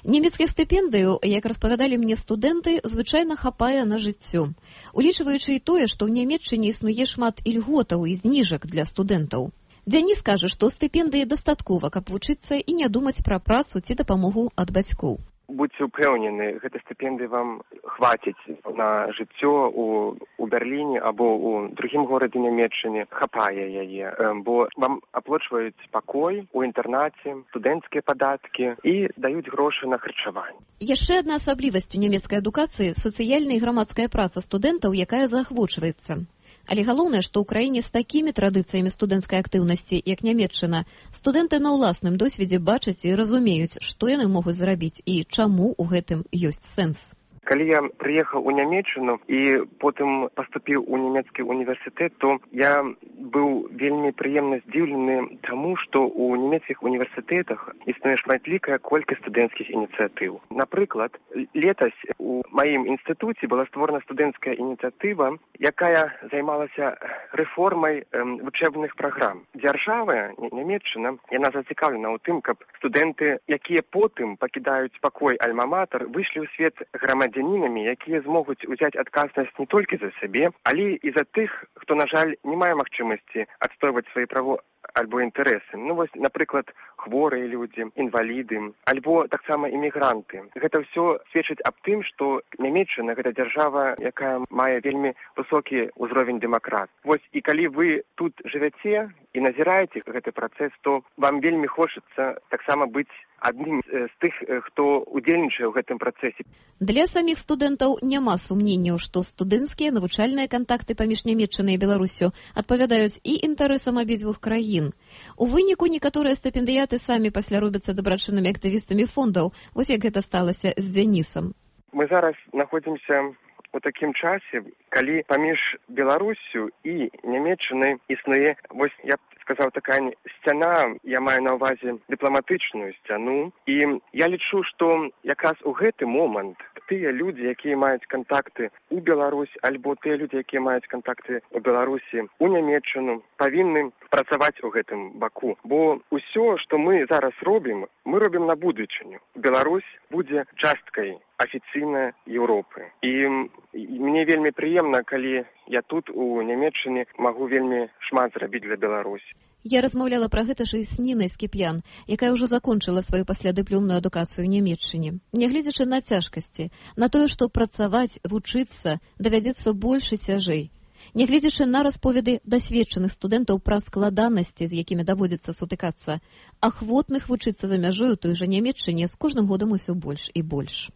[SPEAKER 21] Нямецкіх стыпендыяў, як распавядалі мне студэнты, звычайна хапае на жыццё. Улічваючы і тое, што ў Нямецчыне існуе шмат ільготаў і зніжак для студэнтаў. Дзяніс кажа, што стыпендыі дастаткова, каб вучыцца і не думаць пра працу ці дапамогу ад бацькоў.
[SPEAKER 7] Будьце ўпэўнены, гэта стыпендыі вам хваціць на жыццё у Берліне або ў другім горадзе Нямецчыне. Хапае яе, бо вам аплачваюць пакой у інтэрнаце, студэнцкія падаткі і даюць грошы на харчаванне.
[SPEAKER 21] Яшчэ адна асаблівасць у нямецкай адукацыі – сацыяльная і грамадская праца студэнтаў, якая заахвочваецца. Але галоўнае, што ў краіне з такімі традыцыямі студэнцкай актыўнасці, як Нямецчына, студэнты на ўласным досведзе бачаць і разумеюць, што яны могуць зрабіць і чаму ў гэтым ёсць сэнс.
[SPEAKER 7] Калі я прыехаў у Нямецчыну і потым паступіў у нямецкі універсітэт, то я быў вельмі прыемна здзіўлены таму, што ў нямецкіх універсітэтах існуе шматлікая колькасць студэнцкіх ініцыятыў. Напрыклад, летась у маім інстытуце была створана студэнцкая ініцыятыва, якая займалася рэформай вучэбных праграм. Дзяржава, Нямецчына, яна зацікаўлена ў тым, каб студэнты, якія потым пакідаюць пакой альма-матэр, выйшлі ў свет грамадзянінамі, якія змогуць узяць адказнасць не толькі за сябе, але і за тых, хто, на жаль, не мае магчымасці адстойваць свае правы альбо інтарэсы. Ну, вось, напрыклад, хворыя людзі, інваліды, альбо таксама імігранты. Гэта ўсё сведчыць аб тым, што Нямецчына – гэта дзяржава, якая мае вельмі высокі ўзровень дэмакрат. Вось, і калі вы тут жывяце і назіраеце гэты працэс, то вам вельмі хочацца таксама быць адным з тых, хто удзельнічае ў гэтым працэсе.
[SPEAKER 21] Для саміх студэнтаў няма сумненняў, што студэнцкія навучальныя кантакты паміж Нямецчынай і Беларусю адпавядаюць і інтарэсам абедзвюх краін. У выніку некаторыя стыпендыяты самі пасля робяцца дабрачыннымі актывістамі фондаў, вось як гэта сталася з Дзянісам.
[SPEAKER 7] Мы зараз знаходзімся у такім часе, калі паміж Беларусю і Нямецчынай існуе, вось я сказаў, такая сцяна, я маю на ўвазе дыпламатычную сцяну, і я лічу, што якраз у гэты момант тыя людзі, якія маюць кантакты ў Беларусь, альбо тыя людзі, якія маюць кантакты ў Беларусі, у Нямецчыну, павінны працаваць у гэтым баку. Бо ўсё, што мы зараз робім, мы робім на будучыню. Беларусь будзе часткай афіцыйнай Еўропы. І мне вельмі прыемна, калі я тут у Нямецчыне магу вельмі шмат зрабіць для Беларусі.
[SPEAKER 21] Я размаўляла пра гэта ж і з Нінай Скіп'ян, якая ўжо закончыла сваю паслядыплёмную адукацыю ў Нямецчыне. Нягледзячы на цяжкасці, на тое, што працаваць, вучыцца давядзецца больш і цяжэй. Нягледзячы на расповеды дасведчаных студэнтаў пра складанасці, з якімі даводзіцца сутыкацца, ахвотных вучыцца за мяжой у той жа Нямецчыне з кожным годам усё больш і больш.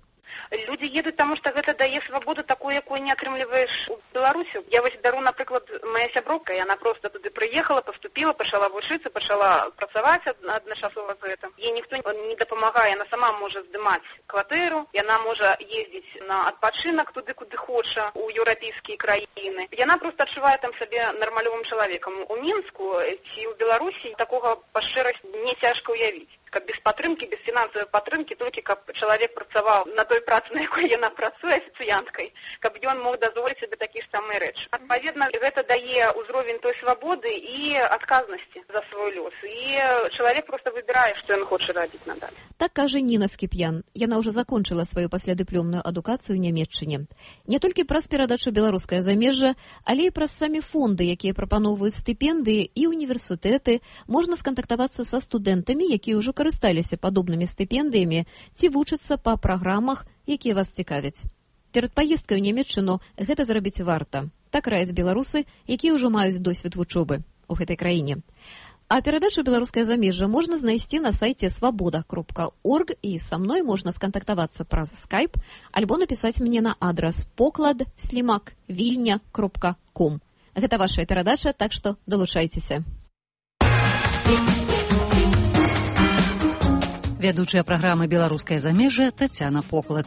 [SPEAKER 3] Люди едут, потому что это дает свободу такую, якую не атрымліваешь у Беларусі. Я вось дару, напрыклад, моя сяброўка, яна просто туды прыехала, поступила, пачала вучыцца, пачала працаваць адначасова з гэтым. Ей ніхто не дапамагае, яна сама можа здымаць кватэру, яна можа ездзіць на адпачынак туды, куды хоча, у еўрапейскія краіны. Яна просто адчувае там сабе нармалёвым чалавекам. У Мінску ці ў Беларусі такога па шчырасці не цяжка ўявіць. Каб без падтрымкі, без фінансавай падтрымкі, толькі каб чалавек працаваў на той працы, на якой яна працуе афіцыянткай, каб ён мог дазволіць сабе такія ж самыя рэчы. Адпаведна, гэта дае ўзровень той свабоды і адказнасці за свой лёс. І чалавек проста выбірае, што ён хоча рабіць надалей.
[SPEAKER 21] Так кажа Ніна Скіп'ян. Яна ўжо закончыла сваю паслядыплёмную адукацыю ў Нямецчыне. Не толькі праз перадачу беларускае замежжа, але і праз самі фонды, якія прапаноўваюць стыпендыі і універсітэты, можна скантактавацца са студэнтамі, якія ўжо карысталіся падобнымі стыпендыямі ці вучацца па праграмах, якія вас цікавяць. Перад паездкай у Нямецчыну гэта зрабіць варта. Так раяць беларусы, якія ўжо маюць досвед вучобы ў гэтай краіне. А перадачу «Беларускае замежжа» можна знайсці на сайце свабода.орг, і са мной можна скантактавацца праз скайп альбо напісаць мне на адрас poklad@vilnya.com. Гэта ваша перадача, так што далучайцеся.
[SPEAKER 1] Вядучая праграмы «Беларускае замежжа» Тацяна Поклад.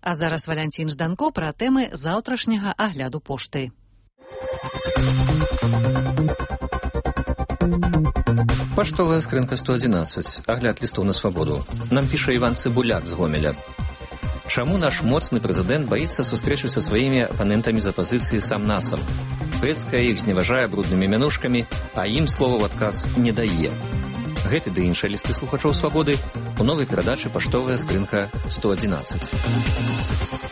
[SPEAKER 1] А зараз Валянцін Жданко пра тэмы заўтрашняга агляду пошты.
[SPEAKER 9] Паштовая скрынка 111. Агляд лістоў на свабоду. Нам піша Іван Цыбуляк з Гомеля. Чаму наш моцны прэзідэнт баіцца сустрэчы са сваімі апанентамі з апазіцыі сам-насам? Пэцкая іх зневажае бруднымі мянушкамі, а ім слова ў адказ не дае. Гэты ды іншыя лісты слухачоў свабоды у новай перадачы «Паштовая скрынка 111».